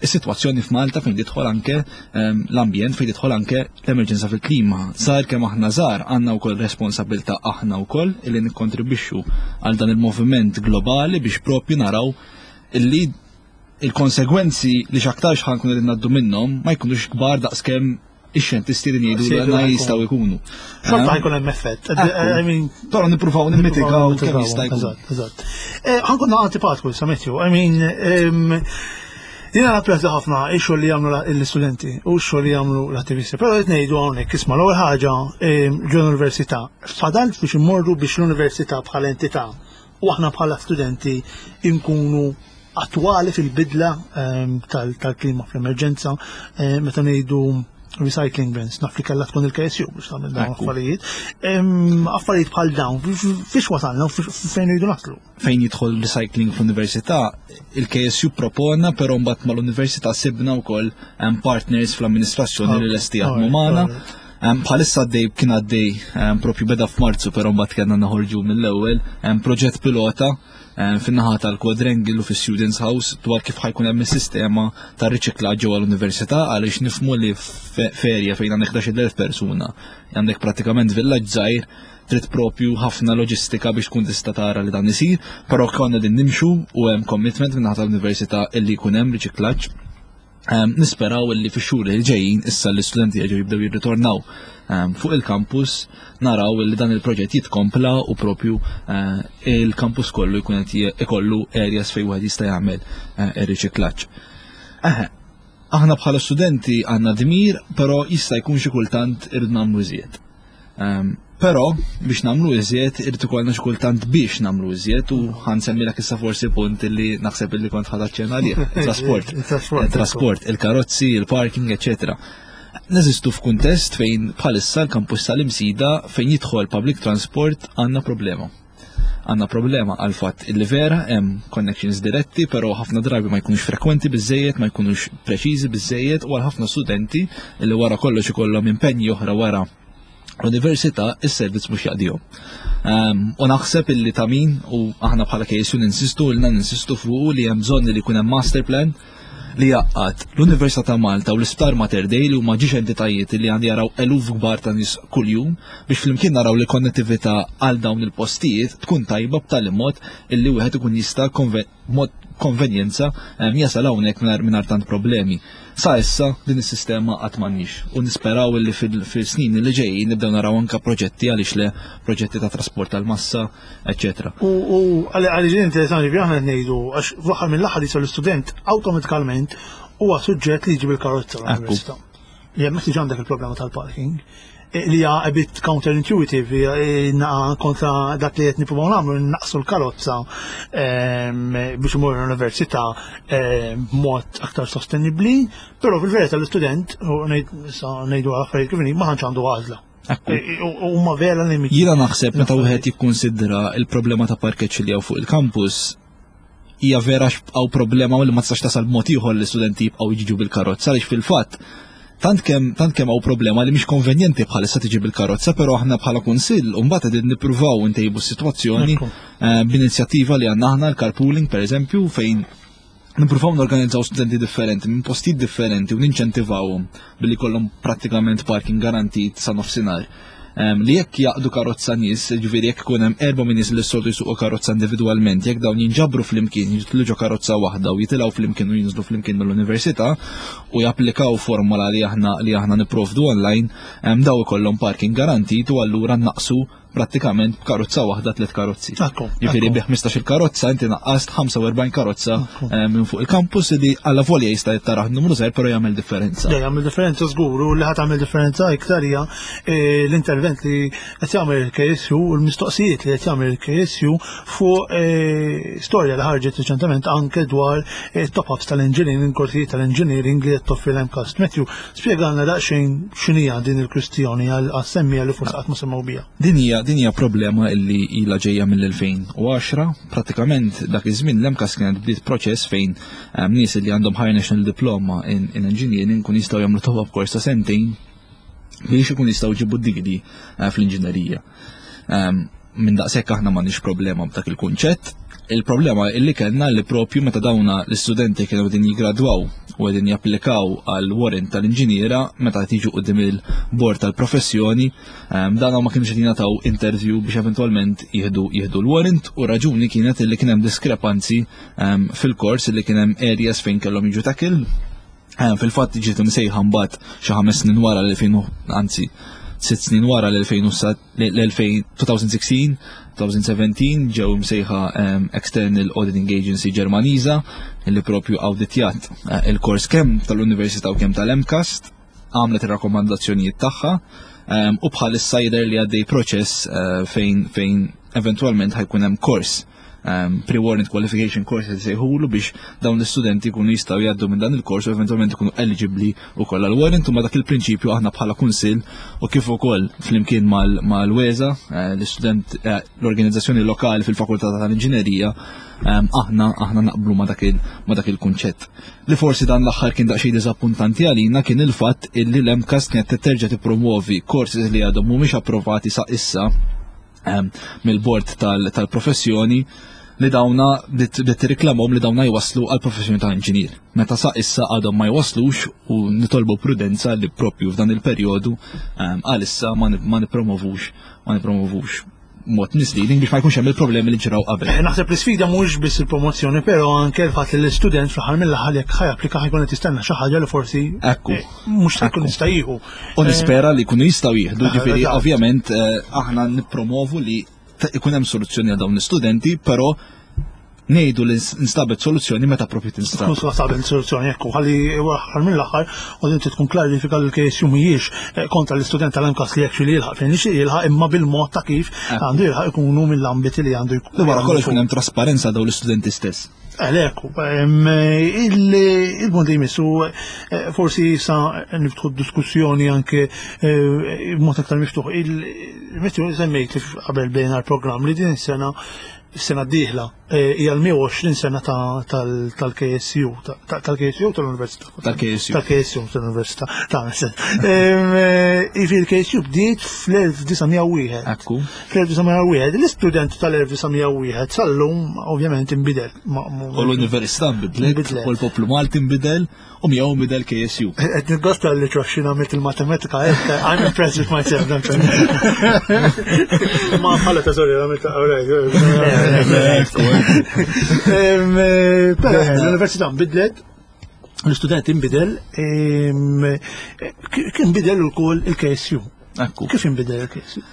is-sitwazzjoni f'Malta fejn tidħol anke l-ambjent, fejn tidħol anke l-emerġenza fil-klima. Żgħar kemm aħna żgħar, għandna wkoll responsabilità aħna wkoll illi nikkontribwixxu għal dan il-moviment globali biex propju naraw illi il-konsegwenzi li x'aktarx ħa nkunu qegħdin ngħaddu minnhom ma jkunux kbar daqskemm ix-xjentisti li jgħidu li għandna jistgħu jkunu. Xorta ħajkun hemm effett. I mean, però nippruvaw nimmitigaw kemm jista' jkun. Eżatt, eżatt. Ħa nkun antipatku issa Matthew. I mean, jiena napprezza ħafna ix-xogħol li jagħmlu l-istudenti u x-xogħol li jagħmlu l-attivisti. Però qed ngħidu hawnhekk isma' l-ewwel ħaġa ġo l-università. Fadal biex immorru biex l-università bħala entità u aħna bħala studenti nkunu attwali fil-bidla tal-klima fl-emerġenza, meta ngħidu recycling bins, naf li kellha tkun il-KSU biex tagħmel dawn affarijiet. Affarijiet bħal dawn, fiex wasalna u fejn rridu naslu? Fejn jidħol recycling fl-università, il-KSU propona, però mbagħad mal-università sibna wkoll partners fl-amministrazzjoni li lesti jaħdmu magħna. Bħalissa għaddej, kien għaddej, propju beda f'Marzu, però mbagħad kellna noħorġu mill-ewwel, proġett pilota fin-naħa tal-Quadrangle u fis-Students House dwar kif ħajkun hemm is-sistema ta' riċiklaġġ ġewwa l-università, għaliex nifhmu li ferja fejn għandek 11,000 persuna, għandek prattikament villaġġ żgħir, trid propju ħafna loġistika biex tkun tista' tara li dan isir, però konna din nimxu u hemm commitment minn naħa tal-università illi jkun hemm riċiklaġġ. Nisperaw illi fix-xhur li ġejjin issa l-istudenti jerġgħu jibdew jirritornaw fuq il-campus, naraw illi dan il-proġett jitkompla u propju il-campus kollu jkun qed ikollu areas fejn wieħed jista' jagħmel ir-riċiklaġġ. Aħna bħala studenti għandna dmir, però jista' jkun xi kultant irrid nagħmlu iżjed. Però biex nagħmlu iżjed irid ikollna xi kultant biex nagħmlu iżjed, u ħansemmilek issa forsi punt li naħseb illi kont ħadd aċċenna għalih, trasport. Il-trasport, Il-trasport, il-karozzi, il-parking, eċċetera. Neżistu f'kuntest fejn bħalissa l-kampus tal-Imsida fejn jidħol public transport għandna problema. Għandna problema għal fatt illi vera hemm connections diretti, però ħafna drabi ma jkunux frekwenti biżejjed, ma jkunux preċiżi biżejjed, u għal ħafna studenti li wara kollox ikollhom impenji oħra wara l-università, is-servizz mhux jaqdihom. U naħseb illi ta' min, u aħna bħala KSU ninsistu, ilna ninsistu fuq li hemm bżonn li jkun hemm master plan li jaqgħad l-Università ta' Malta u l-Isptar Mater Dei, li huma ġiex entitajiet li għandi jaraw eluf kbar ta' nies kuljum, biex flimkien naraw li konnettività għal dawn il-postijiet tkun tajba b'tali mod illi wieħed ikun jista' mod konvenjenza jasal hawnhekk mingħajr tant problemi. Sa issa din is-sistema qatt m'għandniex, u nisperaw illi fil-snin li ġejjin nibdew naraw anke proġetti, għaliex le, proġetti ta' trasport tal-massa, eċċetera. U għaliex din interessanti bi aħna ngħidu, għax fl-aħħar mill-aħħar jisal l-istudent awtomatikament huwa suġġett li jġib il-karozza l-università. Li hemmhekk diġà għandek il-problema tal-parking, li hija a bit counterintuitive, hija naqa kontra dak li qed nippruvaw nagħmlu, naqsu l-karozza biex imur l-università b'mod aktar sostenibbli, però fil-verità l-istudent, u issa ngħidu affarijiet kif inhi, ma tantx għandu għażla. U huma vera limiti. Jiena naħseb meta wieħed jikkunsidra il-problema ta' parkeġġ li hawn fuq il-campus, hija vera x'bqgħu problema li ma tistax tasal b'mod ieħor li l-istudenti jibqgħu jiġu bil-karozza, għaliex fil-fatt tant kemm hawn problema li mhix konvenjenti bħalissa tiġi bil-karozza, però aħna bħala kunsill u mbagħad qegħdin nippruvaw ntejbu s-sitwazzjoni, b'inizjattiva li għandna aħna l-carpooling pereżempju, fejn nippruvaw norganizzaw studenti differenti minn postijiet differenti u ninċentivawhom billi kollhom prattikament parking garantit sa nofsinhar. Li jekk jaqdu karozza nies, ġifieri jekk ikun hemm 4 minn nies li s-soltu jsuqu karozza individwalment, jekk dawn jinġabru flimkien, jidħlu ġo karozza waħda u jitilgħu flimkien u jinżlu flimkien mill-università u japplikaw formola li aħna nipprovdu online, daw ikollhom parking garantit u allura naqsu prattikament b'karozza waħda tliet karozzi. Ġifieri bi 15-il karozza inti naqqast 45 karozza eh, minn fuq il-campus li alla volja jista' jittaraħ numru żgħir però jagħmel differenza. Jagħmel differenza żgur u li ħadd tagħmel differenza iktar hija eh, l-intervent li qed jagħmel il-KSU u l-mistoqsijiet li qed jagħmel il-KSU fuq eh, storja li ħarġet riċentement anke dwar top-ups tal-engineering, korsijiet tal-engineering li qed toffri l-MCAST. Matthew, spjegalna daqsxejn x'inhija din il-kwistjoni għas-semmija li forsi qatt ma semgħu biha. Din hija din hija problema illi ilha ġejja mill-2010, prattikament dak iż-żmien l-MCAST kienet bdiet proċess fejn ehm, nies li għandhom Higher National Diploma in, in Engineering kun jistgħu jagħmlu top-up course ta' sentejn biex ikun jistgħu jġibu d-degree eh, fl-inġinerija. Ehm, minn daqshekk aħna m'għandniex problema b'dak il-kunċett. Il-problema illi kellna li propju meta dawna l-istudenti kienu qegħdin jiggradwaw u qegħdin japplikaw għal warrant tal-inġiniera meta tiġu qudiem il-bord tal-professjoni, ehm, dan ma kienux qed jingħataw interview biex eventwalment jieħdu jieħdu l-warrant u raġuni kienet illi kien hemm diskrepanzi ehm, fil-kors illi kien hemm areas fejn kellhom jiġu tackle Eh, fil-fatt ġiet imsejħa mbagħad xi ħames snin wara l-2000 anzi sitt snin wara l-2016 2017 ġew imsejħa ehm, External Auditing Agency Ġermaniża li propju awditjat eh, il-kors kemm tal-Università u kemm tal-MCAST għamlet ir-rakkomandazzjonijiet tagħha ehm, u bħalissa jidher li għaddej proċess eh, fejn fejn eventwalment ħajkun hemm kors um, pre-warrant qualification course li sejħulu biex dawn l-istudenti jkunu jistgħu jgħaddu minn dan il-kors u eventwalment ikunu eligibbli wkoll għal warrant u ma dak il-prinċipju aħna bħala kunsill u kif ukoll flimkien mal-WESA eh, l-istudent eh, l-organizzazzjoni lokali fil-Fakultà tal-Inġinerija ehm, aħna aħna naqblu ma dak il-kunċett. Li forsi dan l-aħħar kien daqsxejn diżappuntanti għalina kien il-fatt illi l-MCAST kienet terġa' tippromuovi courses li għadhom mhumiex approvati sa issa Ehm, mill-bord tal-professjoni li dawna bdiet tirriklamhom li dawna jwaslu għal professjoni ta' inġinier. Meta sa issa għadhom ma jwaslux u nitolbu prudenza li propju f'dan il-perjodu ehm, għalissa ma nipromovux ma nipromovux mod misleading biex ma jkunx hemm il-problemi li ġraw qabel. Eh, naħseb l-isfida mhux biss il-promozzjoni, però anke l-fatt li l-istudent fl-aħħar mill-aħħar jekk ħajapplika ħajkun qed jistenna xi ħaġa li forsi Ekku. Eh, mhux se jkun jista' jieħu. U nispera li jkunu jistgħu jieħdu, ġifieri ovvjament eh, aħna nippromovu li ikun hemm soluzzjoni għal dawn l-istudenti, però ngħidu li nstabet soluzzjoni meta propju tinstab. Tkun sabet soluzzjoni ekku, ħalli aħħar mill-aħħar u inti tkun klarifika li l-KSU mhijiex eh, kontra l-istudent tal-MCAS li actually jilħaq fejn jixtieq jilħaq imma bil-mod ta' kif għandu jilħaq ikunu mill-ambiti li għandu jkun. Wara kollox ikun hemm trasparenza dawn l-istudenti stess. Għalek, il-punt li jmissu, eh, forsi sa niftħu diskussjoni anke eh, b'mod aktar miftuħ. Il-Matthew semmejt li qabel bejna l-programm li din is-sena sena d-dieħla eh, hija l-120 sena tal-KSU, tal-KSU tal-Università. Tal-KSU. Tal-KSU tal-Università. Ta' Ifi l-KSU bdiet fl-1901. Ekku. Fl-1901, l-istudent tal-1901 sal-lum ovvjament inbidel. U l-Università nbidlet, u l-poplu Malti nbidel, u miegħu nbidel KSU. Qed nitgosta li troxxin għamilt il-matematika, I'm impressed with myself. Ma bħala ta' sorry, għamilt Però l-Università nbidlet, l-istudent inbidel, kien bidel ukoll il-KSU. Ekku. Kif inbidel il-KSU?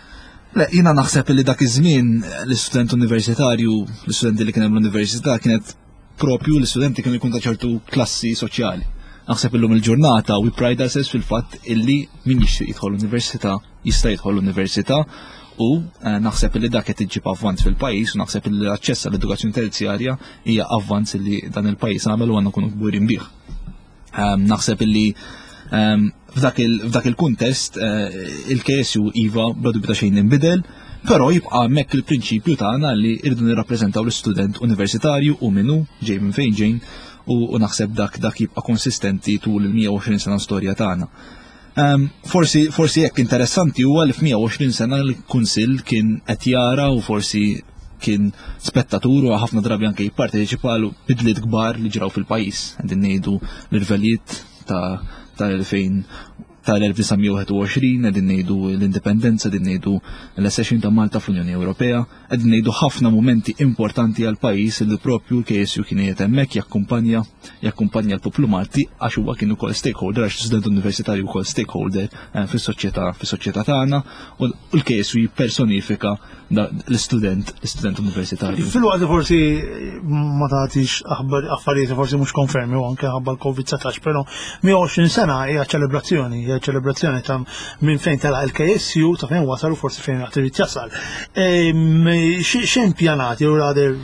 Le, jina naħseb li dak iż-żmien l-istudent universitarju, l-istudenti li kien hemm l-università kienet propju l-istudenti kienu jkun ta' ċertu klassi soċjali. Naħseb illum il-ġurnata we pride ourselves fil-fatt illi min jixtieq jidħol l-università jista' jidħol l-università u eh, naħseb li dak qed iġib avvanz fil-pajjiż u naħseb li l-aċċess għall-edukazzjoni terzjarja hija avvanz li dan il-pajjiż għamel u għandna nkunu kburin bih. Ehm, naħseb li ehm, f'dak il-kuntest eh, il-KSU iva bla dubju ta' xejn inbidel, però jibqa' hemmhekk il-prinċipju tagħna li rridu nirrappreżentaw l-istudent universitarju u minnu ġej minn fejn ġejn u naħseb dak dak jibqa' konsistenti tul il-120 sena storja tagħna. Ehm, forsi forsi jekk interessanti huwa li f'120 sena l-Kunsill kien qed jara u forsi kien spettatur u ħafna drabi anke jipparteċipa għal bidliet kbar li ġraw fil-pajjiż. Qegħdin ngħidu l-irvelijiet ta' tal-2000 tal-1921, qegħdin ngħidu l-indipendenza, qegħdin ngħidu l-accession ta' Malta fl-Unjoni Ewropea, qegħdin ngħidu ħafna mumenti importanti għal pajjiż li propju l-KSU kien qiegħed hemmhekk jakkumpanja jakkumpanja l-poplu Malti għax huwa kien ukoll stakeholder għax student universitarju wkoll stakeholder eh, fis-soċjetà fis-soċjetà tagħna u l-KSU jippersonifika l-istudent l-istudent universitarju. Fil-waqt li forsi ma tagħtix aħbar affarijiet forsi mhux konfermi u anke ħabba l-COVID-19, però 120 sena hija ċelebrazzjoni, hija ċelebrazzjoni ta' minn fejn telaq il-KSU ta' fejn wasal u forsi fejn għad irid jasal. X'hemm pjanati u rather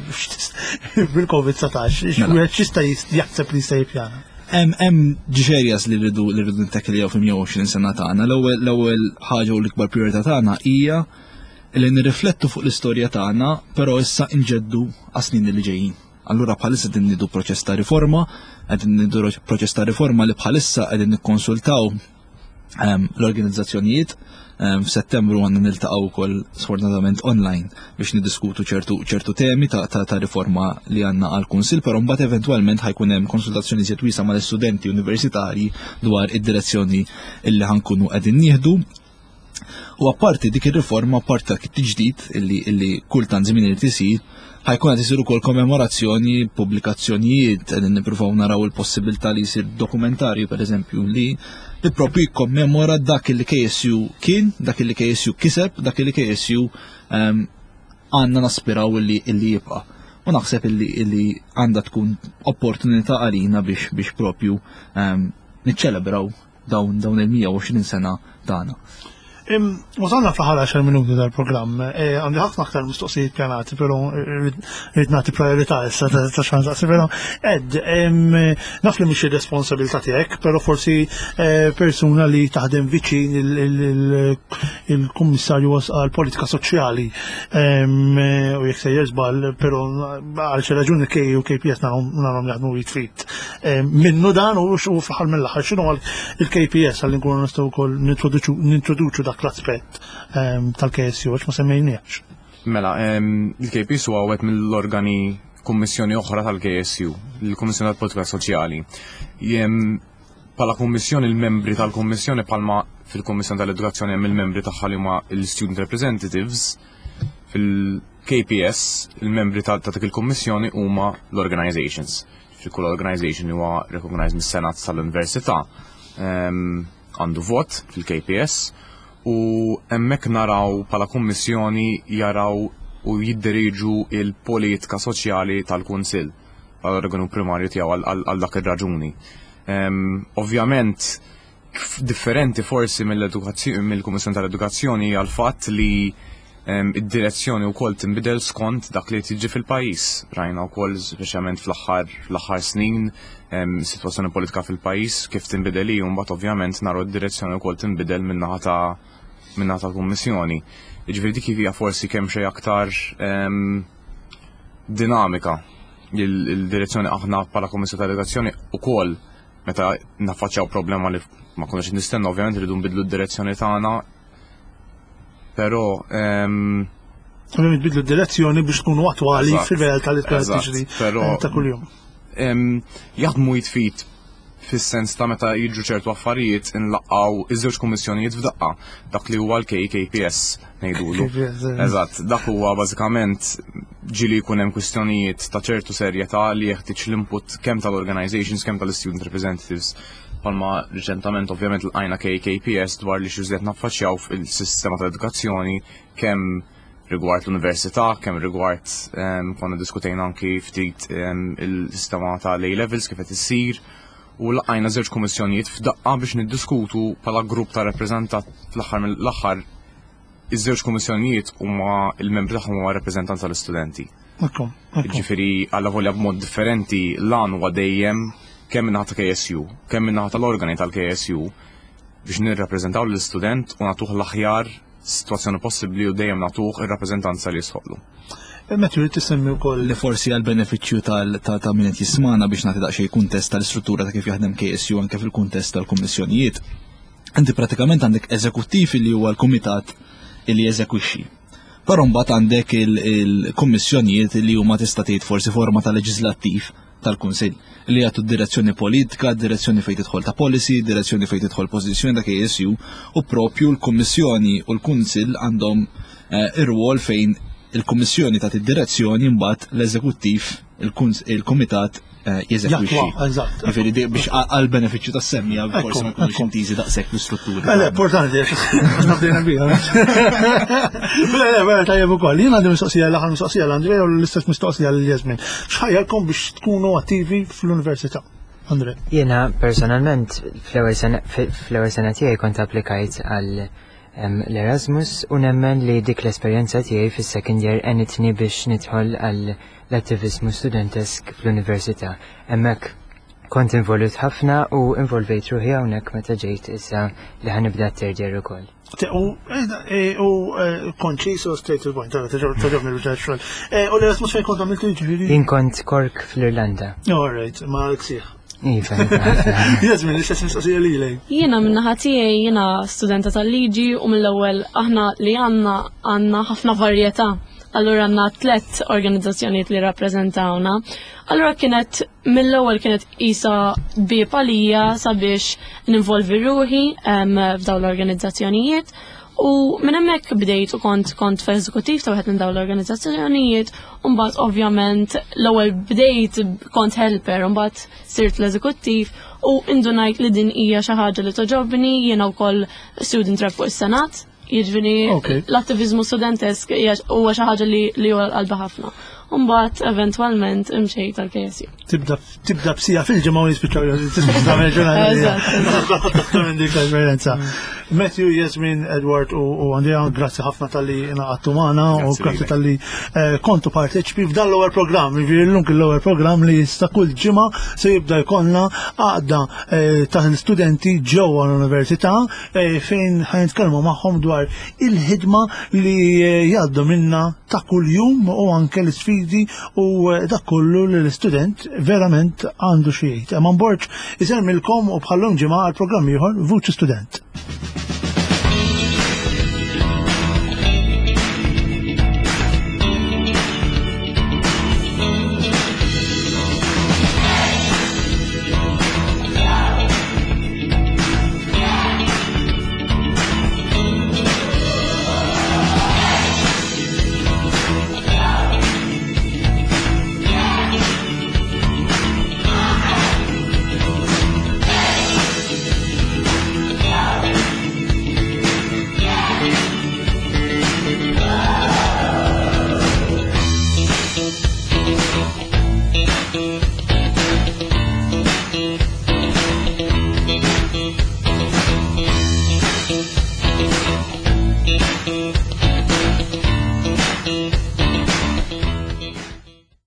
bil-COVID-19, mela. wieħed x'jista' jaħseb li jista' jippjana? Hemm ġerjas li rridu li rridu nittakiljaw fil-120 sena tagħna. L-ewwel ħaġa u l-ikbar priorità tagħna hija li nirriflettu fuq l-istorja tagħna, però issa nġeddu għas-snin li ġejjin. Allura bħalissa qegħdin nidu proċess ta' riforma, qegħdin nidu proċess ta' riforma li bħalissa qegħdin nikkonsultaw ehm, l-organizzazzjonijiet ehm, f'Settembru għandna niltaqgħu wkoll sfortunatament online biex niddiskutu ċertu ċertu temi ta', ta, ta riforma li għandna għal kunsil, però mbagħad eventwalment ħajkun hemm konsultazzjoni żjed wiesa mal-istudenti universitarji dwar id-direzzjoni illi ħankunu qegħdin nieħdu. U apparti dik ir-riforma, apparti dak it-tiġdid illi, illi kultant żmien irid isir, ħajkun qed isir ukoll kommemorazzjoni, pubblikazzjonijiet, qegħdin nippruvaw naraw il-possibilità li jsir dokumentarju pereżempju li li propju jikkommemora dak li KSU kien, dak li KSU kiseb, dak li KSU ehm, għandna naspiraw illi illi jibqa'. U naħseb illi illi għandha tkun opportunità għalina biex biex propju ehm, niċċelebraw dawn dawn il-120 sena tagħna. Wasalna fl-aħħar 10 minuti tal-programm. E, għandi ħafna aktar mistoqsijiet pjanati, però rrid nagħti priorità issa ta' xan saqsi, però Ed, naf li mhix ir-responsabilità tiegħek, però forsi e, persuna li taħdem viċin il-Kummissarju għall-Politika Soċjali u jekk sejjer żball, però għal xi raġuni K u KPS narhom jaħdmu jitfit. Eh, minnu dan u xu fl-aħħar mill-aħħar x'inhu il-KPS għal nkunu nistgħu wkoll nintroduċu dak l-aspett ehm, tal-KSU għax ma semmejniex. Mela, ehm, il-KPS huwa wieħed mill-organi kummissjoni oħra tal-KSU, il-Kummissjoni tal-Politika Soċjali. Jem pala kummissjoni il-membri tal-kummissjoni palma fil-Kummissjoni tal-Edukazzjoni hemm il-membri tagħha li huma l-Student Representatives fil-KPS il-membri ta' dik il-kummissjoni huma l-organizations. Fi kull organization li huwa recognized mis-Senat tal-Università ehm, għandu vot fil-KPS u hemmhekk naraw bħala kummissjoni jaraw u jiddiriġu il-politika soċjali tal-Kunsill għal-organu primarju tiegħu għal dak ir-raġuni. Ehm, ovvjament differenti forsi mill-Kummissjoni tal-Edukazzjoni hija l-fatt li id-direzzjoni wkoll tinbidel skont dak li tiġi fil-pajjiż. Rajna wkoll speċjalment fl-aħħar fl-aħħar snin sitwazzjoni politika fil-pajjiż kif tinbidel hi u mbagħad ovvjament naraw id-direzzjoni wkoll tinbidel min-naħa ta' min-naħa tal-Kummissjoni. Jiġifieri dik hija forsi kemm xejn aktar dinamika il-direzzjoni aħna bħala Kummissjoni tal-Edukazzjoni ukoll meta naffaċċjaw problema li ma konniex nistenna ovvjament rridu nbidlu d-direzzjoni tagħna. Però ehm, Ovvjament bidlu d-direzzjoni biex tkunu attwali fil-realtà li tkun tiġri eh, ta' kuljum. Ehm, jaħdmu jitfit fis-sens ta' meta jiġu ċertu affarijiet inlaqgħu iż-żewġ kummissjonijiet f'daqqa, dak li huwa l-KKPS ngħidulu. Eh. Eżatt, dak huwa bażikament ġieli jkun hemm kwistjonijiet ta' ċertu serjetà li jeħtieġ l-input kemm tal-organizations kemm tal-student representatives. Palma riċentament ovvjament l-għajna KKPS dwar li xi naffaċċjaw fil-sistema tal-edukazzjoni kemm rigward l-università, kemm rigward ehm, konna diskutejna anki ftit ehm, il-sistema tal-A levels kif qed issir u laqajna żewġ kummissjonijiet f'daqqa biex niddiskutu bħala grupp ta' rappreżentat fl-aħħar mill-aħħar iż-żewġ kummissjonijiet huma il-membri tagħhom huma rappreżentanti tal-istudenti. Ġifieri alla volja b'mod differenti l-għan huwa dejjem kemm min-naħa ta' KSU, kemm min-naħa tal-organi tal-KSU biex nirrappreżentaw lill-istudent u nagħtuh l-aħjar sitwazzjoni possibbli u dejjem nagħtuh ir-rappreżentanza li jistħoqqlu. Matthew, trid tisemmi wkoll. Li forsi għal benefiċċju tal ta' min qed jismana biex nagħti daqsxejn kuntest tal-istruttura ta' kif jaħdem KSU anke fil-kuntest tal-kummissjonijiet. Inti pratikament għandek eżekuttiv li huwa l-kumitat li jeżekwixxi. Però mbagħad għandek il-kummissjonijiet li huma tista' tgħid forsi forma ta' leġislattiv. tal-Kunsill li jagħtu direzzjoni politika, direzzjoni fejn tidħol ta' policy, direzzjoni fejn tidħol pożizzjoni ta' KSU u propju l-Kummissjoni u l-Kunsill għandhom eh, ir-rwol fejn il-Kummissjoni tagħti direzzjoni mbagħad l-eżekuttiv il-Kumitat eh, jeżegwixxi. Eżatt. Ġifieri biex għal benefiċċju tas-semmija forsi ma jkunux intiżi daqshekk l-istrutturi. Le, importanti, għax nabdejna biha. Le, le, vera tajjeb ukoll. Jien għandi mistoqsija l-aħħar mistoqsija l-Andrea u l-istess mistoqsija lil Jasmin. X'ħajjarkom biex tkunu attivi fl-università? Andre. Jiena personalment fl-ewwel sena tiegħi kont applikajt għal l-Erasmus u nemmen li dik l-esperjenza tiegħi fis-second year għenitni biex nidħol għal l-attiviżmu studentesk fl-università. Hemmhekk kont involut ħafna u involvejt ruħi hawnhekk meta ġejt issa li ħanibda t-third year ukoll. U eh, u eh, konċis u straight to the point, tagħġobni l xogħol. Eh, u l-Erasmus fejn kont għamiltu jiġifieri? Jien kont Cork fl-Irlanda. All right, ma l-ksieħ. Iva, iva. Jasmin, l-istess mistoqsija lilek. Jiena min-naħa tiegħi jiena studenta tal-liġi u mill-ewwel aħna li għandna għandna ħafna varjetà. Allura għandna tlett organizzazzjonijiet li rappreżentawna. Allura kienet mill-ewwel kienet isa bieb għalija sabiex ninvolvi ruħi f'dawn l-organizzazzjonijiet. U minn hemmhekk bdejt u kont kont fl-eżekuttiv ta' wieħed minn dawn l-organizzazzjonijiet, u mbagħad ovvjament l-ewwel bdejt kont helper, u mbagħad sirt l-eżekuttiv u indunajt li din hija xi ħaġa li toġobni, jiena wkoll student rep fuq is-Senat. Jiġifieri l-attiviżmu studentesk huwa xi ħaġa li li huwa qalbi ħafna. U mbagħad eventwalment imxejt għall-KSU. Tibda tibda b'sija fil-ġimgħa u jispiċċaw tagħmel ġurnata. Minn dik l-esperjenza. Matthew, Jasmin, Edward u Andrea, grazzi ħafna tal-li ingħaqadtu magħna u grazzi tal-li eh, kontu parteċipi f'dan l-ewwel programm, jiġifieri llum kien l-ewwel programm li issa kull ġimgħa se jibda jkollna għaqda eh, ta' studenti ġewwa l-università eh, fejn ħanitkellmu magħhom dwar il-ħidma li jgħaddu minna ta' kuljum u anke l-isfidi u dak kollu li l-istudent verament għandu xi jgħid. Eman Borg isemmilkom u bħallum ġimgħa għal programm ieħor Vuċi Student.